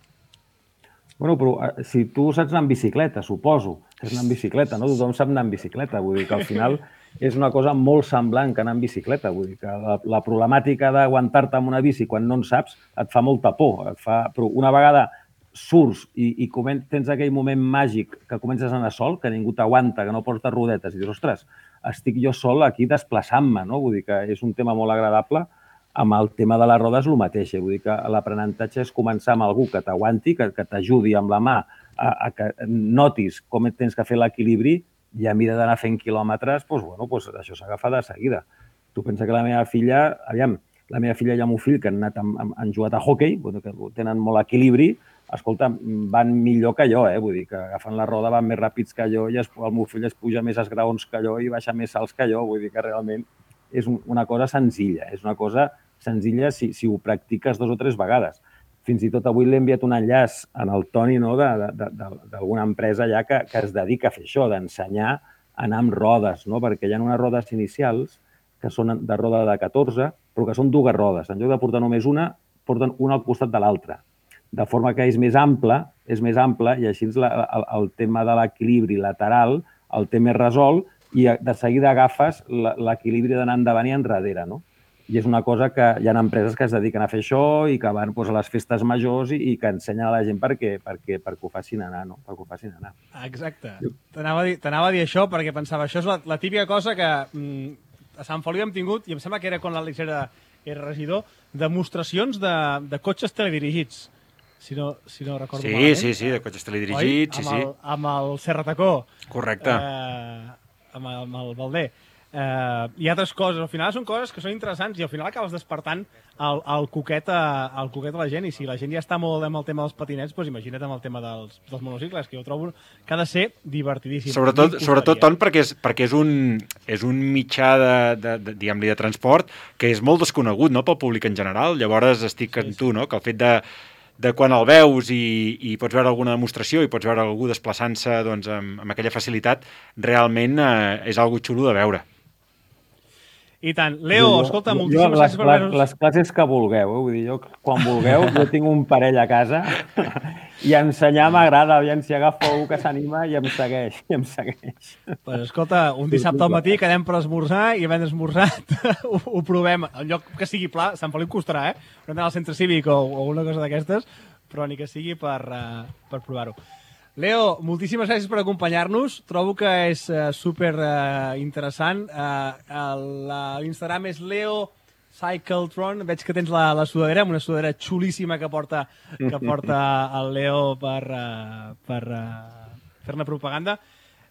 Bueno, però si tu saps anar en bicicleta, suposo, que és anar en bicicleta, no? Tothom sap anar en bicicleta, vull dir que al final és una cosa molt semblant que anar en bicicleta, vull dir que la, la problemàtica d'aguantar-te amb una bici quan no en saps et fa molta por, et fa... però una vegada surts i, i comen... tens aquell moment màgic que comences a anar sol, que ningú t'aguanta, que no portes rodetes, i dius, ostres, estic jo sol aquí desplaçant-me, no? Vull dir que és un tema molt agradable. Amb el tema de la roda és el mateix, vull dir que l'aprenentatge és començar amb algú que t'aguanti, que, que t'ajudi amb la mà a, a que notis com tens que fer l'equilibri i a mida d'anar fent quilòmetres, doncs, bueno, doncs això s'agafa de seguida. Tu pensa que la meva filla, aviam, la meva filla i el meu fill, que han, anat amb, amb, han jugat a hoquei, bueno, que tenen molt equilibri, escolta, van millor que jo, eh? Vull dir que agafant la roda van més ràpids que jo i es, el meu fill es puja més esgraons que jo i baixa més salts que jo. Vull dir que realment és un, una cosa senzilla, és una cosa senzilla si, si ho practiques dos o tres vegades. Fins i tot avui l'he enviat un enllaç en el Toni, no, d'alguna empresa ja que, que es dedica a fer això, d'ensenyar a anar amb rodes, no? Perquè hi ha unes rodes inicials que són de roda de catorze, però que són dues rodes. En lloc de portar només una, porten una al costat de l'altra. De forma que és més ample, és més ample i així la, el, el tema de l'equilibri lateral el té més resolt i de seguida agafes l'equilibri d'anar endavant i enrere, no? I és una cosa que hi ha empreses que es dediquen a fer això i que van doncs, a les festes majors i, i que ensenyen a la gent perquè, perquè, perquè ho facin anar, no? Perquè ho facin anar. Exacte. T'anava a dir, t'anava a dir això perquè pensava, això és la, la típica cosa que mm, a Sant Feliu hem tingut, i em sembla que era quan l'Àlex era, era regidor, demostracions de, de cotxes teledirigits, si no, si no recordo sí, malament. Sí, sí, de cotxes teledirigits, sí, sí. Amb el Serratacó. Correcte. Eh, amb, el, amb el Valder. Eh, I altres coses. Al final són coses que són interessants i al final acabes despertant el, el, coquet a, el coquet a la gent. I si la gent ja està molt amb el tema dels patinets, doncs imagina't amb el tema dels, dels monocicles, que jo trobo que ha de ser divertidíssim. Sobretot, sobretot Ton, perquè és, perquè és, un, és un mitjà de, de, de, diguem-li, de transport que és molt desconegut, no?, pel públic en general. Llavors estic sí, amb tu, no?, que el fet de de quan el veus i, i pots veure alguna demostració i pots veure algú desplaçant-se doncs, amb, amb aquella facilitat, realment eh, és algo xulo de veure. I tant. Leo, jo, escolta, jo, moltíssimes les, gràcies per les, les classes que vulgueu, eh? Vull dir, jo, quan vulgueu, jo tinc un parell a casa i ensenyar m'agrada, aviam si agafo algú que s'anima i em segueix, i em segueix. Pues escolta, un dissabte al matí quedem per esmorzar i havent esmorzat ho, ho provem. En lloc que sigui pla, Sant Feliu costarà, eh? Però anar al centre cívic o, o una cosa d'aquestes, però ni que sigui per, uh, per provar-ho. Leo, moltíssimes gràcies per acompanyar-nos. Trobo que és uh, super uh, interessant. Uh, L'Instagram és Leo Cycletron. Veig que tens la, la sudadera, una sudadera xulíssima que porta, que porta el Leo per, uh, per uh, fer-ne propaganda.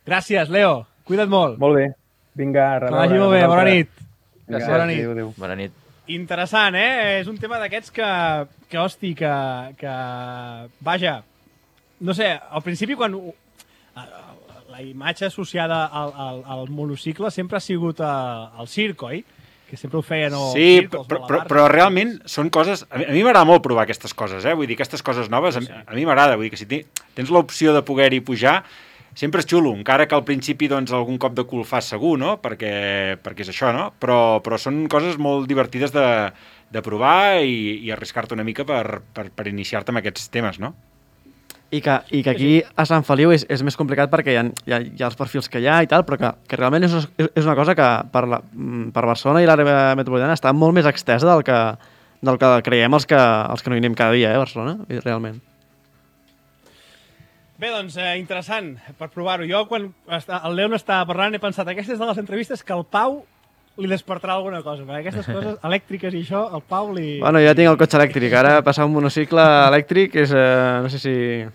Gràcies, Leo. Cuida't molt. Molt bé. Vinga, a reveure. Que vagi molt bé. Bona nit. Gràcies. Bona nit. Adéu, adéu. Bona nit. Interessant, eh? És un tema d'aquests que, que, hosti, que, que... Vaja, no sé, al principi quan... La imatge associada al, al, al monocicle sempre ha sigut al circ, oi? Que sempre ho feien o sí, circ, però, però, però realment són coses... A mi m'agrada molt provar aquestes coses, eh? Vull dir, aquestes coses noves, a, a mi m'agrada. Vull dir que si tens l'opció de poder-hi pujar, sempre és xulo, encara que al principi doncs, algun cop de cul fas segur, no? Perquè, perquè és això, no? Però, però són coses molt divertides de, de provar i, i arriscar-te una mica per, per, per iniciar-te amb aquests temes, no? I que, i que aquí a Sant Feliu és, és més complicat perquè hi ha, hi, ha, hi ha els perfils que hi ha i tal, però que, que realment és, és una cosa que per, la, per Barcelona i l'àrea metropolitana està molt més extesa del que, del que creiem els que, els que no hi anem cada dia, eh, a Barcelona, realment. Bé, doncs, eh, interessant per provar-ho. Jo, quan està, el Leon estava parlant, he pensat, aquestes de les entrevistes que el Pau li despertarà alguna cosa, perquè aquestes coses elèctriques i això, el Pau li... Bueno, ja tinc el cotxe elèctric, ara passar un monocicle elèctric és, eh, no sé si...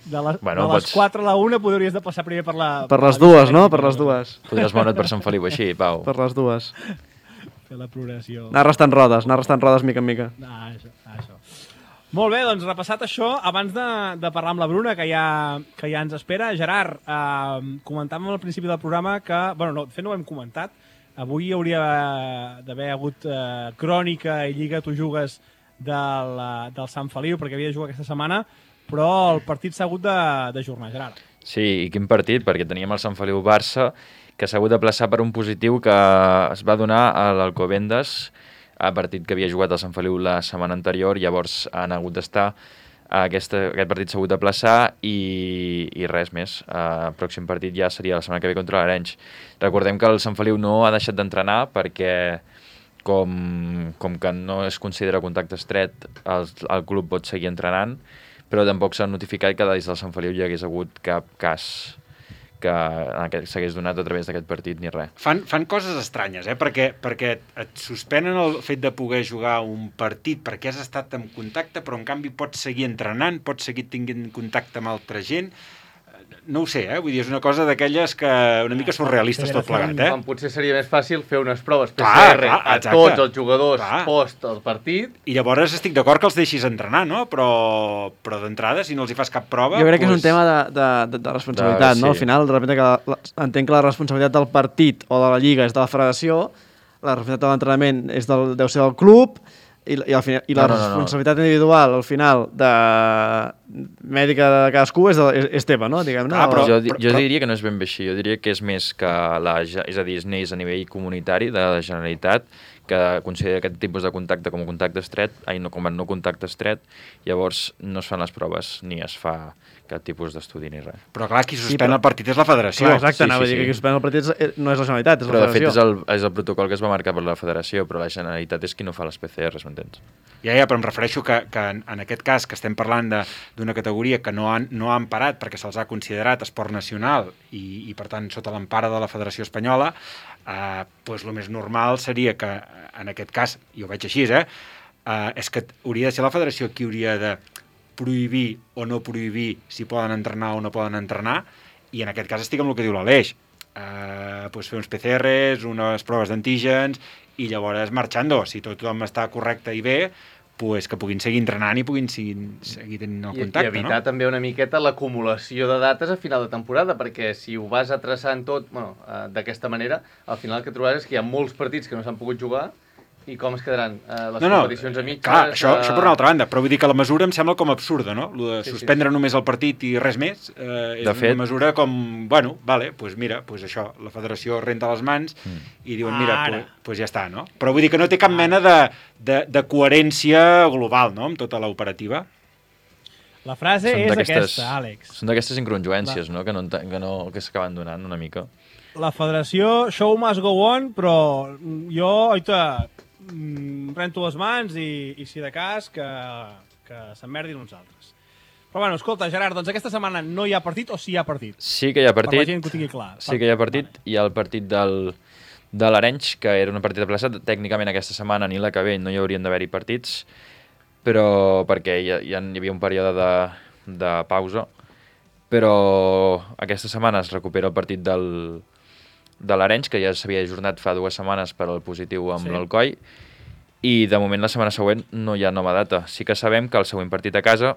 De, la, bueno, de les pots... quatre a la una podries de passar primer per la... Per les dues, no? Per les dues. Podries moure't per Sant Feliu així, Pau. Per les dues. Fer la progressió. Anar restant rodes, anar restant rodes mica en mica. Ah, això, això. Molt bé, doncs repassat això, abans de, de parlar amb la Bruna, que ja, que ja ens espera, Gerard, eh, comentàvem al principi del programa que... Bueno, no, de fet no ho hem comentat. Avui hauria d'haver hagut eh, crònica i Lliga Tu Jugues del, del Sant Feliu, perquè havia de jugar aquesta setmana, però el partit s'ha hagut d'ajornar, Gerard. Sí, i quin partit, perquè teníem el Sant Feliu-Barça, que s'ha hagut de plaçar per un positiu que es va donar a l'Alcobendas, a partit que havia jugat el Sant Feliu la setmana anterior, llavors han hagut d'estar. Aquesta, aquest partit s'ha hagut de plaçar i, i res més. El pròxim partit ja seria la setmana que ve contra l'Arenys. Recordem que el Sant Feliu no ha deixat d'entrenar perquè com, com que no es considera contacte estret, el, el club pot seguir entrenant, però tampoc s'ha notificat que des del Sant Feliu hi hagués hagut cap cas que s'hagués donat a través d'aquest partit ni res. Fan, fan coses estranyes, eh? perquè, perquè et suspenen el fet de poder jugar un partit perquè has estat en contacte, però en canvi pots seguir entrenant, pots seguir tinguent contacte amb altra gent. no ho sé, eh? Vull dir, és una cosa d'aquelles que una mica surrealistes tot plegat, eh? Quan potser seria més fàcil fer unes proves P C Clar, R clar, a exacte. tots els jugadors Clar. post el partit. I llavors estic d'acord que els deixis entrenar, no? Però, però d'entrada, si no els hi fas cap prova... Jo crec que és pues... un tema de, de, de, de responsabilitat, De- no? sí. Al final, de repente, que la, entenc que la responsabilitat del partit o de la lliga és de la federació, la responsabilitat de l'entrenament és del, deu ser del club, i, i, al final, i la No, no, no, no. responsabilitat individual, al final, de mèdica de cadascú és, de, és, és teva, no? Diguem-ne. Ah, però- O- jo, di- jo diria que no és ben bé així, jo diria que és més que la, ge- és a dir, es neix a nivell comunitari de la Generalitat, que considera aquest tipus de contacte com a contacte estret, ai, no, com a no contacte estret, llavors no es fan les proves ni es fa cap tipus d'estudi ni res. Però clar, qui suspèn però- el partit és la federació. Clar, exacte, Sí, anava sí, a dir sí. que qui suspèn el partit és, no és la Generalitat, és Però la de fet federació. és el, és el protocol que es va marcar per la federació, però la Generalitat és qui no fa les P C Rs, m'entens? Ja, ja, però em refereixo que, que en, en aquest cas que estem parlant de- d'una categoria que no han, no han parat perquè se'ls ha considerat esport nacional i, i per tant sota l'empara de la Federació Espanyola, eh, doncs el més normal seria que en aquest cas, i ho veig així, eh, eh, és que hauria de ser la federació qui hauria de prohibir o no prohibir si poden entrenar o no poden entrenar, i en aquest cas estic amb el que diu l'Aleix. Eh, doncs fer uns P C Rs, unes proves d'antígens, i llavors marxando. Si tothom està correcte i bé, pues que puguin seguir entrenant i puguin seguir, seguir tenint el I, contacte, I evitar no? també una miqueta l'acumulació de dates a final de temporada, perquè si ho vas atraçant tot bueno, eh, d'aquesta manera, al final el que trobaràs és que hi ha molts partits que no s'han pogut jugar i com es quedaran eh, les No, no, competicions a mitges... clar, això, eh, això per una altra banda, però vull dir que la mesura em sembla com absurda, no? Lo de Sí, sí. suspendre només el partit i res més, eh, és De fet- una mesura com, bueno, vale, pues mira, pues això, la federació renta les mans Mm. i diuen, mira, Ara. pues, pues ja està, no? Però vull dir que no té cap mena de, de, de coherència global, no?, amb tota l'operativa. La frase Són és d'aquestes- aquesta, Àlex. Són d'aquestes incongruències, no? Que no, enten- que no que s'acaben donant una mica. La federació, show must go on, però jo, oita, mm, rento les mans i, i si de cas, que, que s'emmerdin uns altres. Però bueno, escolta, Gerard, doncs aquesta setmana no hi ha partit o sí hi ha partit? Sí que hi ha Per la partit, gent que ho tingui clar. sí que hi ha partit. Hi ha el partit del, de l'Arenys, que era un partit aplaçat. Tècnicament aquesta setmana ni la que ve no hi haurien d'haver-hi partits, però perquè hi, ha, hi, ha, hi havia un període de, de pausa. Però aquesta setmana es recupera el partit del, de l'Arenys, que ja s'havia ajornat fa dues setmanes per al positiu amb Sí. sí. l'Alcoi, i de moment la setmana següent no hi ha nova data. Sí que sabem que el següent partit a casa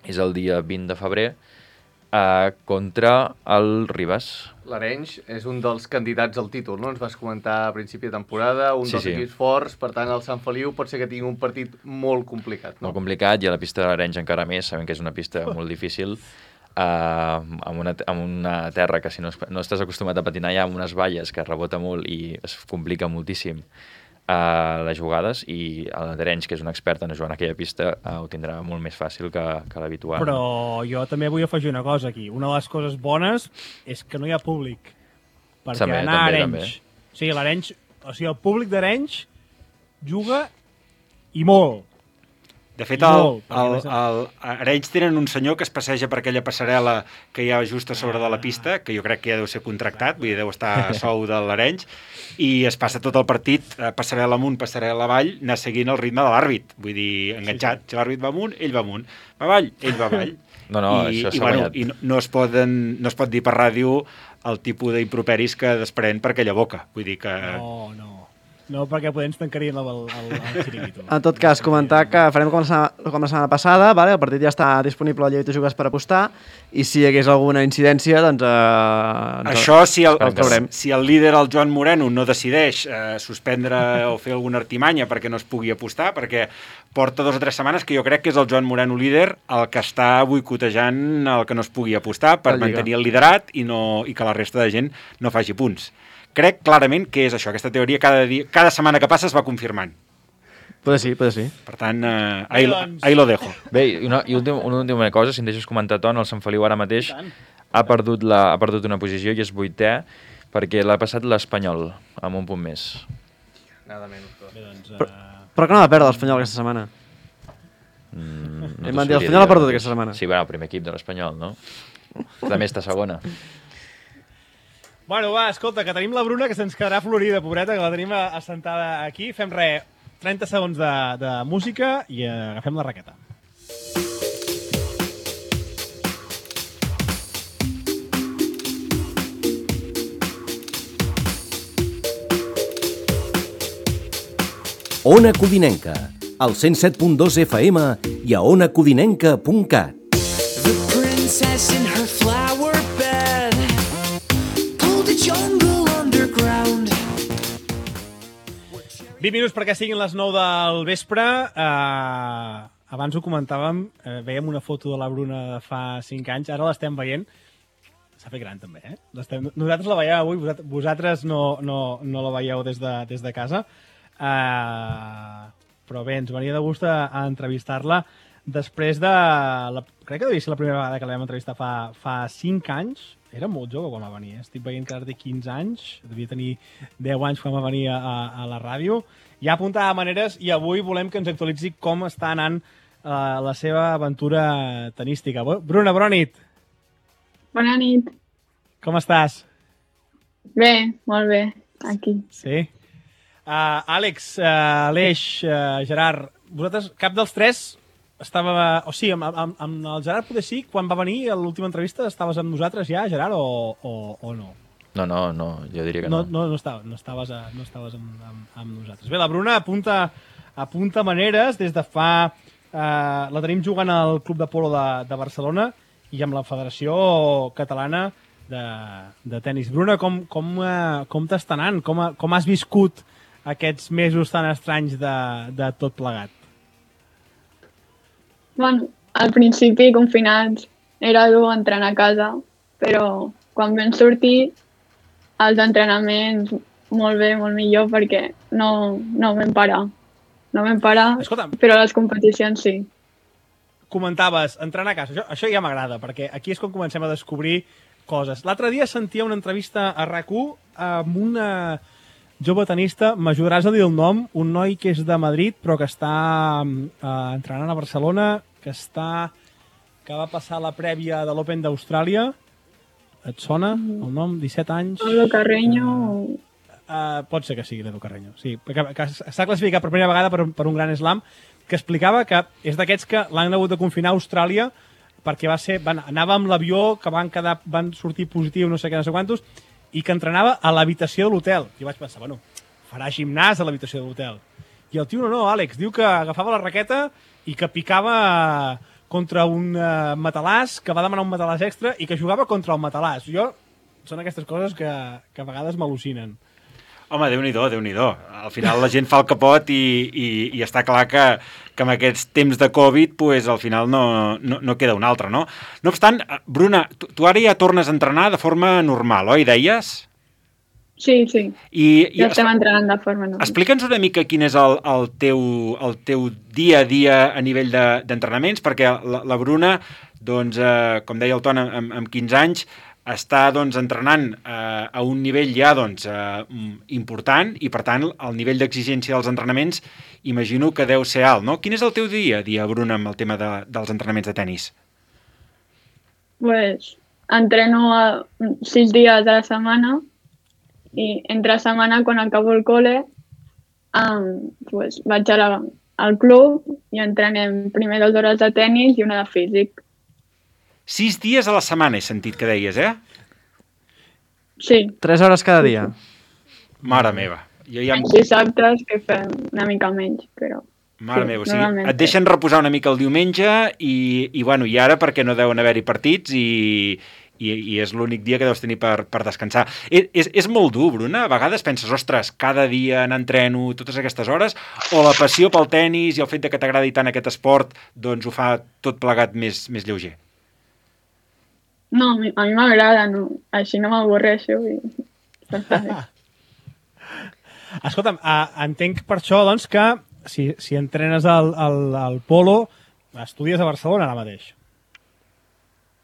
és el dia vint de febrer eh, contra el Ribas. L'Arenys és un dels candidats al títol, no? Ens vas comentar a principi de temporada, un Sí, dels sí. equips forts, per tant el Sant Feliu pot ser que tingui un partit molt complicat, no? Molt complicat, i a la pista de l'Arenys encara més, sabem que és una pista molt difícil, eh, amb, una, amb una terra que si no, no estàs acostumat a patinar ja amb unes valles que rebota molt i es complica moltíssim a les jugades, i l'Arenys, que és un expert en jugar en aquella pista, eh, ho tindrà molt més fàcil que, que l'habitual. Però jo també vull afegir una cosa aquí. Una de les coses bones és que no hi ha públic. Perquè També, anar a també, Arenys... també. O sigui, l'Arenys... O sigui, el públic d'Arenys juga i molt. De fet, I el, molt, perquè el, a més a el, a Arenys tenen un senyor que es passeja per aquella passarel·la que hi ha just a sobre de la pista, que jo crec que ja deu ser contractat, vull dir, deu estar a sou de l'Arenys, i es passa tot el partit, eh, passarel·la amunt, passarel·la avall, anar seguint el ritme de l'àrbit, vull dir, enganxat. Si l'àrbit va amunt, ell va amunt. Va avall, ell va avall. No, no, I, això i, s'ha bueno, guanyat. i no, no, es poden, no es pot dir per ràdio el tipus d'improperis que desprèn per aquella boca. Vull dir que... No, no. No, perquè potser ens tancarien el, el, el xiringuito. En tot cas, comentar que farem com la setmana, com la setmana passada, vale? El partit ja està disponible al Llei de Jugues per apostar, i si hi hagués alguna incidència, doncs... Eh, ens- Això, si el, el traurem. si el líder, el Joan Moreno, no decideix eh, suspendre o fer alguna artimanya perquè no es pugui apostar, perquè porta dos o tres setmanes que jo crec que és el Joan Moreno líder el que està boicotejant el que no es pugui apostar per La Lliga. mantenir el liderat i, no, i que la resta de gent no faci punts. Crec clarament que és això, aquesta teoria cada, dia, cada setmana que passa es va confirmant. Puede sí, puede sí. Per tant, eh, ahí, lo- Doncs- ahí lo dejo. Bé, i una, i últim, una última cosa, si em deixes comentar, Ton, el Sant Feliu ara mateix ha perdut, la, ha perdut una posició i és vuitè, perquè l'ha passat l'Espanyol, amb un punt més. Nada menys. Però. Bé, doncs, Però, uh, però que no va perdre l'Espanyol aquesta setmana. Mm, Em t'ho van dir, sabria l'Espanyol ha ara perdut mateix. aquesta setmana. Sí, bueno, el primer equip de l'Espanyol, no? També està segona. Bueno, va, escolta, que tenim la Bruna, que se'ns quedarà florida, pobreta, que la tenim assentada aquí. Fem res, trenta segons de, de música i eh, agafem la raqueta. Ona Codinenca, al cent set punt dos F M i a ona codinenca punt cat. The princess in her flower bed pulled a jungle underground. vint minuts perquè siguin les nou del vespre. Uh, abans ho comentàvem, uh, veiem una foto de la Bruna de fa cinc anys, ara l'estem veient. S'ha fet gran també, eh? Nosaltres la veieu avui, vosaltres, vosaltres no, no, no la veieu des de, des de casa. Uh, però bé, ens venia de gust a, a entrevistar-la després de... La, crec que devia ser la primera vegada que la vam entrevistar fa, fa cinc anys. Era molt jove quan va venir, eh? Estic veient que ara té quinze anys, devia tenir deu anys quan va venir a, a la ràdio. Ja apuntava maneres i avui volem que ens actualitzi com està anant uh, la seva aventura tenística. Bruna, bona nit. Bona nit. Com estàs? Bé, molt bé, aquí. Sí? Uh, Àlex, uh, Aleix, uh, Gerard, vosaltres, cap dels tres estava... O sigui, amb, amb, amb el Gerard potser sí, quan va venir a l'última entrevista, estaves amb nosaltres ja, Gerard, o, o, o no? No, no, no, jo diria que no. No, no, no, estava, no estaves, a, no estaves amb, amb, amb nosaltres. Bé, la Bruna apunta, apunta maneres des de fa... Uh, la tenim jugant al Club de Polo de, de Barcelona i amb la Federació Catalana de, de Tenis. Bruna, com, com, uh, com t'està anant? Com, com has viscut aquests mesos tan estranys de, de tot plegat? Bueno, al principi, confinats, era dur entrenar a casa, però quan vam sortir, els entrenaments molt bé, molt millor, perquè no, no vam parar. No vam parar, Escolta'm, però les competicions sí. Comentaves, entrenar a casa, això, això ja m'agrada, perquè aquí és quan comencem a descobrir coses. L'altre dia sentia una entrevista a RAC u amb una jove tenista, m'ajudaràs a dir el nom, un noi que és de Madrid, però que està eh, entrenant a Barcelona, que està que va passar la prèvia de l'Open d'Austràlia. Et sona el nom? disset anys? Pablo Carreño... Uh, uh, pot ser que sigui l'Edu Carreño, sí. Que, que s'ha classificat per primera vegada per, per un gran slam, que explicava que és d'aquests que l'han hagut de confinar a Austràlia perquè va ser, van, anava amb l'avió, que van, quedar, van sortir positiu, no sé què, no sé quantos, i que entrenava a l'habitació de l'hotel. I vaig pensar, bueno, farà gimnàs a l'habitació de l'hotel. I el tio no, no, Àlex, diu que agafava la raqueta i que picava contra un uh, matalàs, que va demanar un matalàs extra i que jugava contra el matalàs. Jo, són aquestes coses que, que a vegades m'al·lucinen. Home, Déu-n'hi-do, Déu-n'hi-do. Al final la gent fa el que pot i, i, i està clar que, que amb aquests temps de Covid pues, al final no, no, no queda un altre, no? No obstant, Bruna, tu, tu ara ja tornes a entrenar de forma normal, oi, deies? Sí, sí. I, i ja estem entrenant de forma normal. Explica'ns una mica quin és el, el, teu, el teu dia a dia a nivell d'entrenaments, de, perquè la, la Bruna, doncs, eh, com deia el Ton, amb, amb quinze anys, està doncs, entrenant eh, a un nivell ja doncs, eh, important i, per tant, el nivell d'exigència dels entrenaments imagino que deu ser alt, no? Quin és el teu dia a dia, Bruna, amb el tema de, dels entrenaments de tennis? Pues, entreno a sis dies a la setmana i entre setmana, quan acabo el col·le, um, pues, vaig a la, al club i entrenem primer dues hores de tennis i una de físic. Sis dies a la setmana he sentit que deies, eh? Sí. Tres hores cada dia. Mare meva. Jo ja... Els dissabtes que fem una mica menys, però... Mare sí, meva, o sigui, et deixen reposar una mica el diumenge i, i, bueno, i ara perquè no deuen haver-hi partits i, i, i és l'únic dia que deus tenir per, per descansar. És, és, és molt dur, Bruna? A vegades penses, ostres, cada dia n'entreno totes aquestes hores, o la passió pel tennis i el fet de que t'agradi tant aquest esport doncs ho fa tot plegat més, més lleuger? No, a mi, a mi m'agrada, no. Així no m'avorreixo i... Escolta'm, uh, entenc per això doncs, que si, si entrenes al, al, al polo, estudies a Barcelona ara mateix.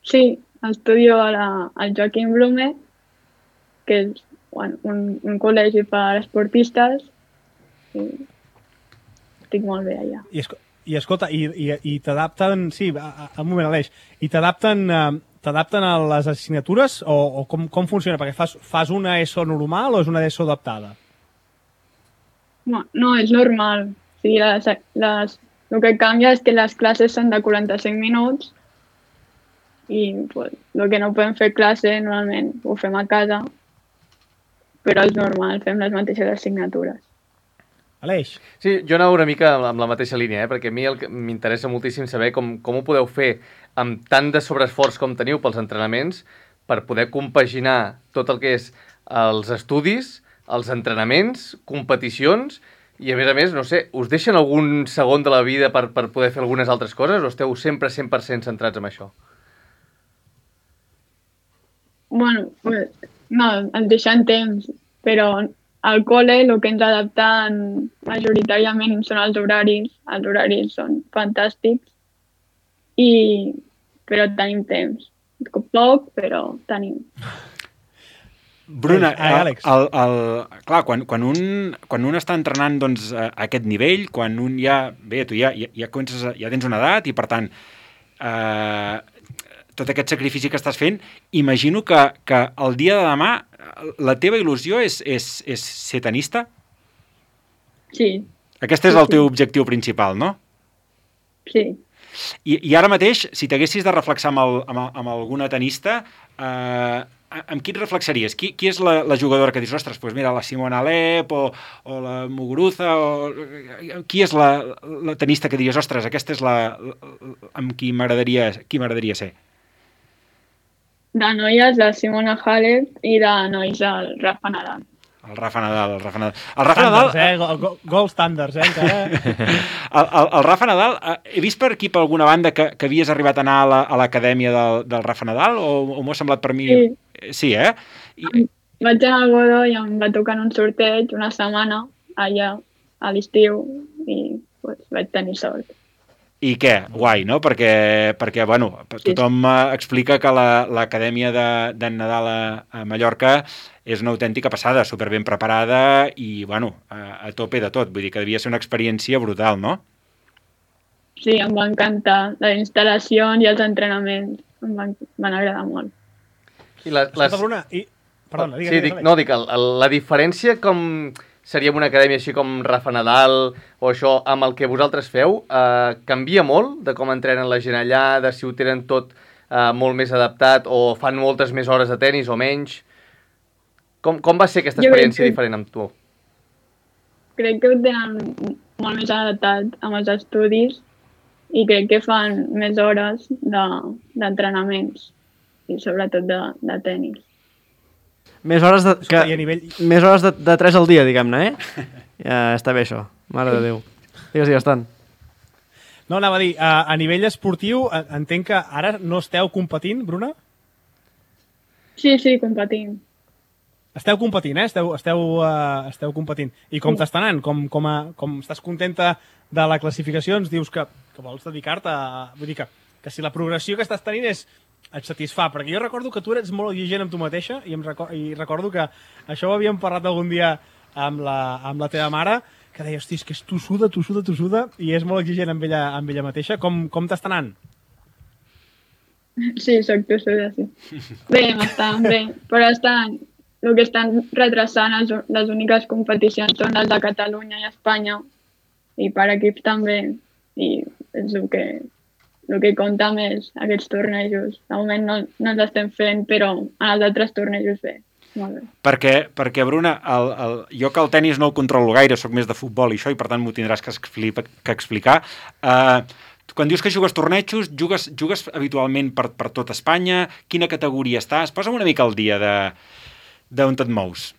Sí, estudio a la, al Joaquim Blume, que és bueno, un, un col·legi per esportistes, i estic molt bé allà. I, esco i escolta, i, i, i t'adapten, sí, a, a un moment, Aleix, i t'adapten... Uh, t'adapten a les assignatures o, o com, com funciona? Perquè fas, fas una ESO normal o és una ESO adaptada? No, no és normal. O sigui, les, les, el que canvia és que les classes són de quaranta-cinc minuts i pues, el que no podem fer classe normalment ho fem a casa, però és normal, fem les mateixes assignatures. Aleix. Sí, jo anava una mica amb la mateixa línia, eh? Perquè a mi el que m'interessa moltíssim saber com, com ho podeu fer amb tant de sobreesforç com teniu pels entrenaments per poder compaginar tot el que és els estudis, els entrenaments, competicions i, a més a més, no sé, us deixen algun segon de la vida per, per poder fer algunes altres coses o esteu sempre cent per cent centrats en això? Bueno, pues, no, ens deixen temps, però al col·le el que ens adapten majoritàriament són els horaris. Els horaris són fantàstics, i... però tenim temps. Poc, però tenim. Bruna, Ai, Àlex. el, el, clar, quan, quan, un, quan un està entrenant doncs, a aquest nivell, quan un ja... Bé, tu ja, ja, ja, comences a, ja tens una edat i, per tant, eh, tot aquest sacrifici que estàs fent, imagino que, que el dia de demà la teva il·lusió és, és, és ser tenista? Sí. Aquest és Sí, el teu sí. objectiu principal, no? Sí. I, i ara mateix, si t'haguessis de reflexar amb, el, amb, amb alguna tenista, eh, amb qui et reflexaries? Qui, qui és la, la jugadora que dius, ostres, doncs mira, la Simona Halep o, o la Muguruza, o... qui és la, la tenista que dius, ostres, aquesta és la, la amb qui m'agradaria qui m'agradaria ser? De noies, la Simona Halep, i de nois, el Rafa Nadal. El Rafa Nadal, el Rafa Nadal. El Rafa Nadal... Standards, eh? Go- go- Gold standards, eh? Encara. El, el, el Rafa Nadal, eh, he vist per aquí per alguna banda que, que havies arribat a anar a la- a l'acadèmia del, del Rafa Nadal o, o m'ho ha semblat per mi... Sí. Sí, eh? I, Vaig anar a Godó i em va tocar en un sorteig una setmana allà a l'estiu i pues, vaig tenir sort. I què? Guai, no? Perquè, perquè bueno, tothom eh, explica que la- l'acadèmia de, de Nadal a, a Mallorca és una autèntica passada, superben preparada i, bueno, a, a tope de tot. Vull dir que devia ser una experiència brutal, no? Sí, em va encantar les instal·lacions i els entrenaments. Em van, van agradar molt. I les, Escolta, les... Bruna, i... Perdona, digues, sí, digues, dic, Àlex. no, dic, el, el, la diferència com seria en una acadèmia així com Rafa Nadal o això, amb el que vosaltres feu, eh, canvia molt de com entrenen la gent allà, de si ho tenen tot eh, molt més adaptat o fan moltes més hores de tennis o menys? Com, com va ser aquesta Jo crec experiència que- diferent amb tu? Crec que ho tenen molt més adaptat amb els estudis i crec que fan més hores de- d'entrenaments i sobretot de, de tennis. Més hores de, que, I a nivell... més hores de, de tres al dia, diguem-ne, eh? Ja està bé, això. Mare de Déu. Digues, digues, tant. No, anava a dir, a, a nivell esportiu, a- entenc que ara no esteu competint, Bruna? Sí, sí, competint. Esteu competint, eh? Esteu, esteu, uh, esteu competint. I com t'està anant? Com, com, a, com estàs contenta de la classificació? Ens dius que, que vols dedicar-te a... Vull dir que, que si la progressió que estàs tenint és, et satisfà, perquè jo recordo que tu eres molt exigent amb tu mateixa i, em record, i recordo que això ho havíem parlat algun dia amb la, amb la teva mare, que deia, hosti, és que és tossuda, tossuda, tossuda, i és molt exigent amb ella, amb ella mateixa. Com, com t'està anant? Sí, soc tossuda, sí. Bé, m'estan bé, però estan, el que estan retrasant les, les úniques competicions són les de Catalunya i Espanya, i per equips també, i és el que, el que compta més aquests tornejos. De moment no, no els estem fent, però en els altres tornejos bé. Molt bé. Perquè, perquè Bruna, el, el, jo que el tennis no el controlo gaire, sóc més de futbol i això, i per tant m'ho tindràs que, explica, que explicar. Uh, quan dius que jugues tornejos, jugues, jugues habitualment per, per tot Espanya? Quina categoria estàs? Posa'm una mica al dia de d'on et mous.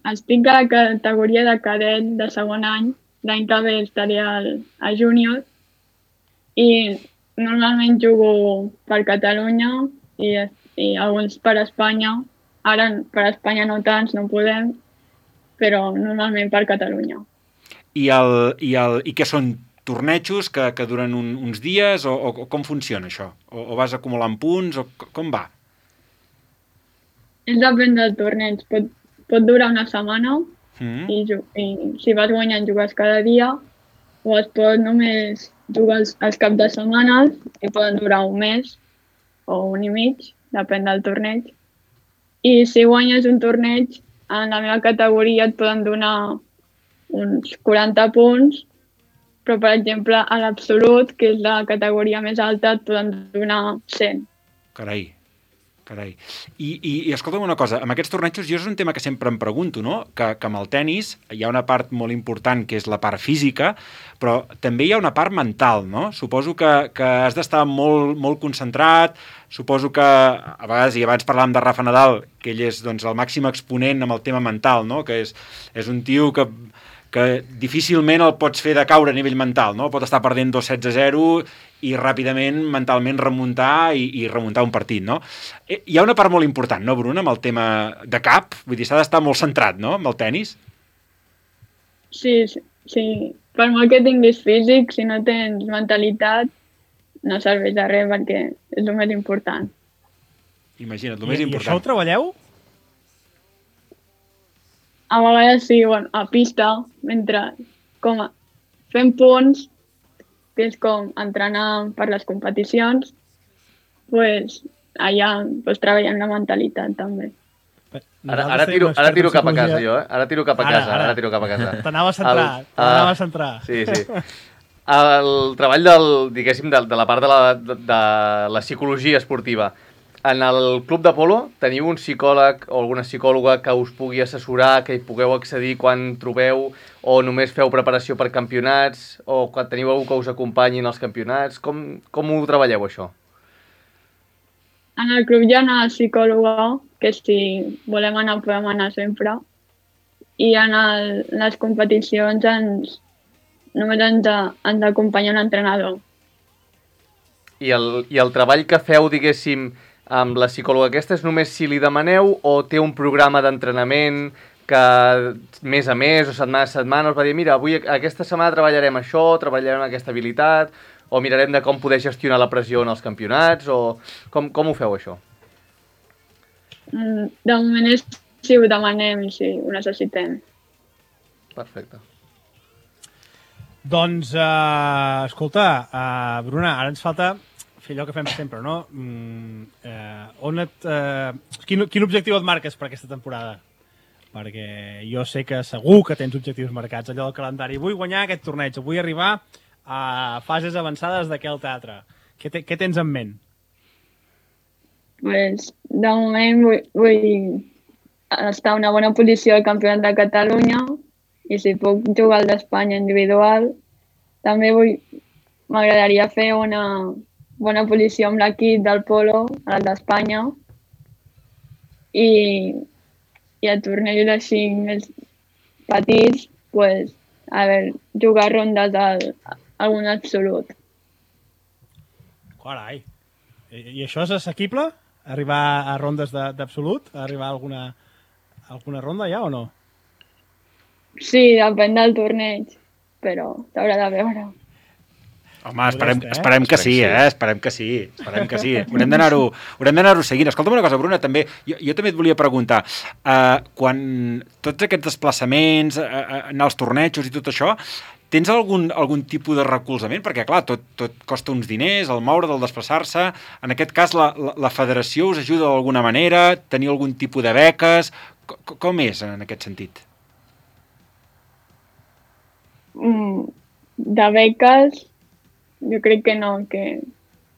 Estic a la categoria de cadet de segon any, l'any que ve estaré al, a júnior, i normalment jugo per Catalunya i, i alguns per Espanya. Ara per Espanya no tants, no podem, però normalment per Catalunya. I, el, i, el, i què són tornejos que, que duren un, uns dies o, o, o com funciona això? O, o vas acumulant punts o c- com va? És depèn del torneig. Pot, pot durar una setmana Mm. i, ju- i si vas guanyant jugues cada dia, o es pot només jugar els, els caps de setmanes i poden durar un mes o un i mig, depèn del torneig. I si guanyes un torneig, en la meva categoria et poden donar uns quaranta punts, però per exemple a l'absolut, que és la categoria més alta, et poden donar cent. Carai. Carai. I, i, i escolta'm una cosa, amb aquests tornejos jo és un tema que sempre em pregunto, no? Que, que amb el tennis hi ha una part molt important que és la part física, però també hi ha una part mental, no? Suposo que, que has d'estar molt, molt concentrat, suposo que a vegades, i abans parlàvem de Rafa Nadal, que ell és doncs, el màxim exponent amb el tema mental, no? Que és, és un tio que que difícilment el pots fer de caure a nivell mental, no? Pot estar perdent dos sets a zero i ràpidament, mentalment, remuntar i, i remuntar un partit, no? Hi ha una part molt important, no, Bruna, amb el tema de cap? Vull dir, s'ha d'estar molt centrat, no?, amb el tennis? Sí, sí, sí. Per molt que tinguis físic, si no tens mentalitat, no serveix de res perquè és el més important. Imagina't, el I, més I important. això ho treballeu? A vegades sí, bueno, a pista, mentre com a, fem punts, que és com entrenar per les competicions, pues, allà pues, treballem la mentalitat també. Ara, ara, tiro, ara tiro cap a casa jo, eh? Ara tiro cap a Ara, casa, ara. ara tiro cap a casa. T'anava a centrar, El- t'anava ah, a centrar. Sí, sí. El treball del, diguéssim, de, de la part de la, de, de la psicologia esportiva. En el club de polo teniu un psicòleg o alguna psicòloga que us pugui assessorar, que hi pugueu accedir quan trobeu, o només feu preparació per campionats, o quan teniu algú que us acompanyi en els campionats? Com, com ho treballeu, això? En el club hi ha una psicòloga, que si volem anar podem anar sempre, i en el, les competicions ens, només ens, ens acompanya un entrenador. I el, I el treball que feu, diguéssim, amb la psicòloga aquesta és només si li demaneu o té un programa d'entrenament que mes a mes o setmana a setmana us va dir mira, avui aquesta setmana treballarem això, treballarem aquesta habilitat o mirarem de com poder gestionar la pressió en els campionats o com, com ho feu això? Mm, De moment és si ho demanem i si ho necessitem. Perfecte. Doncs, uh, escolta, uh, Bruna, ara ens falta fer allò que fem sempre, no? Mm, eh, on et, eh, quin, quin objectiu et marques per aquesta temporada? Perquè jo sé que segur que tens objectius marcats, allò del calendari. Vull guanyar aquest torneig, vull arribar a fases avançades d'aquell teatre. Què, te, què tens en ment? Pues, de moment vull, vull estar en una bona posició al Campionat de Catalunya i si puc jugar al d'Espanya individual. També vull, m'agradaria fer una bona posició amb l'equip del polo, el d'Espanya, i, i a tornejos així més petits, pues, a veure, jugar rondes al, algun absolut. Carai. I, I això és assequible? Arribar a rondes de- d'absolut? Arribar a alguna, alguna ronda ja o no? Sí, depèn del torneig, però s'haurà de veure. Home, esperem, Modest, eh? esperem que sí, eh? Esperem que sí, esperem que sí. Haurem d'anar-ho haurem d'anar-ho seguint. Escolta'm una cosa, Bruna, també, jo, jo també et volia preguntar, uh, quan tots aquests desplaçaments, uh, uh, anar als tornejos i tot això, tens algun, algun tipus de recolzament? Perquè, clar, tot, tot costa uns diners, el moure, el desplaçar-se. En aquest cas, la, la, la federació us ajuda d'alguna manera? Teniu algun tipus de beques? Com, com és en aquest sentit? Mm, de beques, jo crec que no, que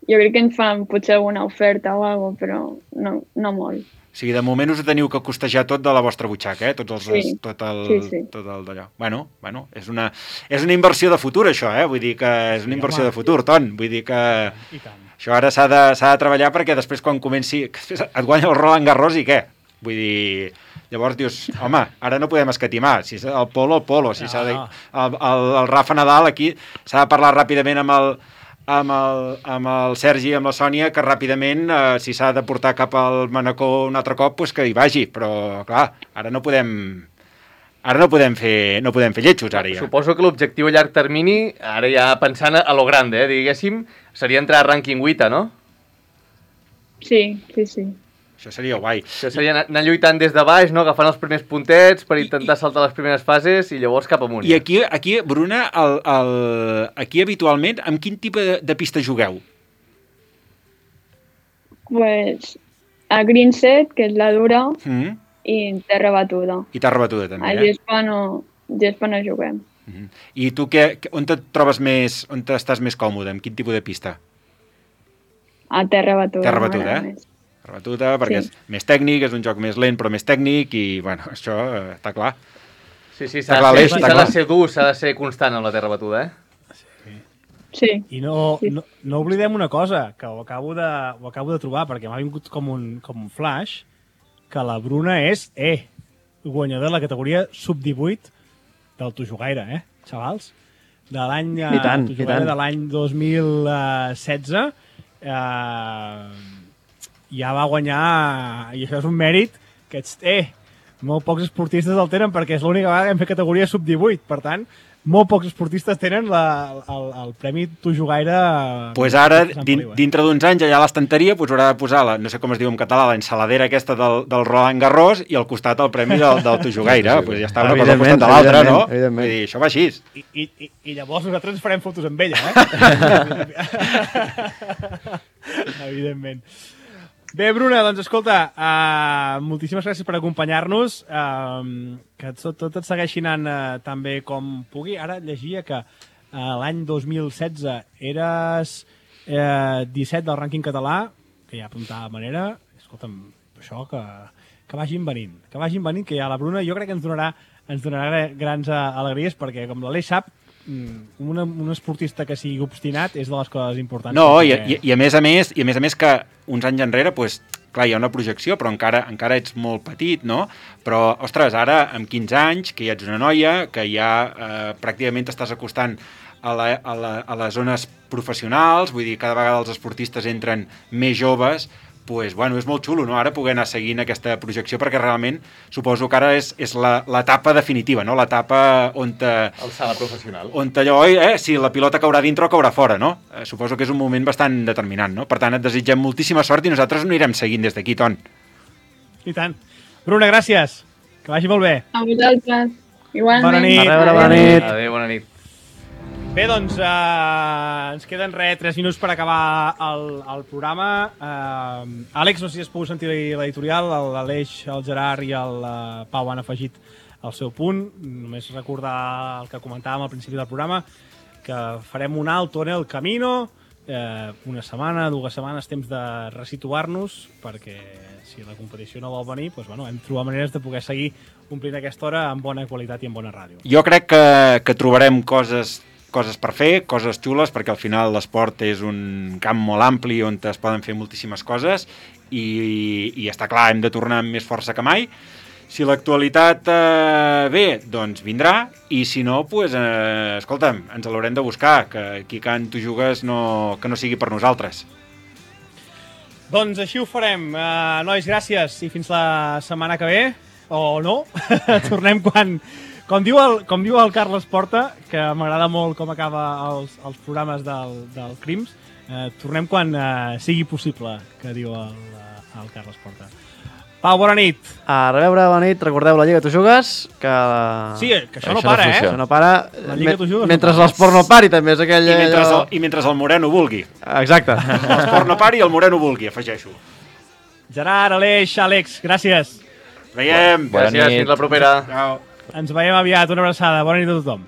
jo crec que ens fan potser alguna oferta o alguna cosa, però no, no molt. O sigui, de moment us ho teniu que costejar tot de la vostra butxaca, eh? Tots els, Sí. tot el, Sí, sí. tot el d'allò. Bueno, bueno, és una, és una inversió de futur, això, eh? Vull dir que és una Sí, inversió home. de futur, Ton. Vull dir que I tant. això ara s'ha de, s'ha de treballar perquè després quan comenci... que després et guanya el Roland Garros i què? Vull dir... Llavors dius, home, ara no podem escatimar. Si és el polo, el polo. Si No, s'ha de, no. el, el, el Rafa Nadal aquí s'ha de parlar ràpidament amb el, amb el, amb el Sergi i amb la Sònia, que ràpidament, eh, si s'ha de portar cap al Manacor un altre cop, pues que hi vagi. Però, clar, ara no podem... Ara no podem fer, no podem fer lletjos, ara ja. Suposo que l'objectiu a llarg termini, ara ja pensant a lo grande, eh, diguéssim, seria entrar a rànquing vuit, no? Sí, sí, sí. Això seria guai. Això seria anar, anar lluitant des de baix, no? Agafant els primers puntets per intentar saltar les primeres fases i llavors cap amunt. I aquí, aquí Bruna, el, el, aquí habitualment, amb quin tipus de, de pista jugueu? Pues a Green Set, que és la dura, Mm? i terra batuda. I t'ha rebatuda, A també, eh? gespa no, gespa no juguem. Mm. I tu què, on et trobes més, on estàs més còmode? Amb quin tipus de pista? A terra batuda. Terra batuda, m'agrada eh? més. Per batuda, perquè Sí. és més tècnic, és un joc més lent però més tècnic i, bueno, això eh, està clar. Sí, sí, Està s'ha clar, de, l'eix, ser- està s'ha clar. de ser dur, s'ha de ser constant amb la terra batuda, eh? Sí. I no, Sí. no, no oblidem una cosa, que ho acabo de, ho acabo de trobar, perquè m'ha vingut com un, com un flash, que la Bruna és, eh, guanyadora de la categoria sub divuit del Tu Jugaire, eh, xavals? De l'any eh, I tant, Tu i Jugaire tant. de l'any dos mil setze, eh, ja va guanyar, i això és un mèrit, que ets, eh, molt pocs esportistes el tenen perquè és l'única vegada que hem fet categoria sub divuit, per tant, molt pocs esportistes tenen la, el, el Premi Tu Jugaire. Doncs pues ara, de Sant din, Feliu, eh? dintre d'uns anys, allà a l'estanteria, pues, haurà de posar, la, no sé com es diu en català, l'ensaladera aquesta del, del Roland Garros i al costat el premi del, del Tu Jugaire. Pues ja està una cosa al costat de l'altra, no? Evidentment. Vull dir, això va així. I, i, i, I llavors nosaltres ens farem fotos amb ella, eh? Evidentment. Bé, Bruna, doncs escolta, uh, moltíssimes gràcies per acompanyar-nos, uh, que tot, tot et segueixi anant uh, tan bé com pugui. Ara llegia que uh, l'any dos mil setze eres uh, disset del rànquing català, que ja apuntava de manera, escolta'm, això que, que vagin venint, que vagin venint, que ja la Bruna jo crec que ens donarà, ens donarà grans uh, alegries, perquè com l'Aleix sap, un, un esportista que sigui obstinat és de les coses importants. No, i, perquè... i, i a més a més, i a més a més que uns anys enrere, pues, clar, hi ha una projecció, però encara encara ets molt petit, no? Però, ostres, ara, amb quinze anys, que ja ets una noia, que ja eh, pràcticament t'estàs acostant a, la, a, la, a les zones professionals, vull dir, cada vegada els esportistes entren més joves, pues, bueno, és molt xulo, no?, ara poder anar seguint aquesta projecció, perquè realment suposo que ara és, és l'etapa definitiva, no?, l'etapa on te... El sala professional. On allò, eh, si la pilota caurà dintre o caurà fora, no? Eh, suposo que és un moment bastant determinant, no? Per tant, et desitgem moltíssima sort i nosaltres ho anirem seguint des d'aquí, Ton. I tant. Bruna, gràcies. Que vagi molt bé. A vosaltres. Igualment. Bona nit. A reure, bona nit. Adéu, bona nit. Bé, doncs, eh, ens queden res, tres minuts per acabar el, el programa. Eh, Àlex, no sé si has pogut sentir l'editorial, l'Aleix, el Gerard i el eh, Pau han afegit el seu punt. Només recordar el que comentàvem al principi del programa, que farem un alto en el camino, eh, una setmana, dues setmanes, temps de resituar-nos, perquè si la competició no vol venir, doncs, bueno, hem de trobar maneres de poder seguir omplint aquesta hora amb bona qualitat i amb bona ràdio. Jo crec que, que trobarem coses coses per fer, coses xules, perquè al final l'esport és un camp molt ampli on es poden fer moltíssimes coses i, i està clar, hem de tornar amb més força que mai. Si l'actualitat eh, ve, doncs vindrà, i si no, pues, eh, escolta'm, ens l'haurem de buscar, que aquí quan tu jugues no, que no sigui per nosaltres. Doncs així ho farem. Uh, nois, gràcies i fins la setmana que ve, o no, tornem quan... Com diu, el, com diu el Carles Porta, que m'agrada molt com acaba els, els programes del, del Crims, eh, tornem quan eh, sigui possible, que diu el, el Carles Porta. Pau, bona nit. A reveure, bona nit. Recordeu la Lliga Tu Jugues, que... Sí, que això, Això no para, no eh? funciona. Això no para. La Lliga Tu Jugues Mentre no para. l'esport no pari, també és aquell... I mentre, allò- el, I mentre el Moreno vulgui. Exacte. L'esport no pari i el Moreno vulgui, afegeixo. Gerard, Aleix, Àlex, gràcies. Veiem. Bona Gràcies, nit. fins la propera. Ciao. Ens veiem aviat. Una abraçada. Bona nit a tothom.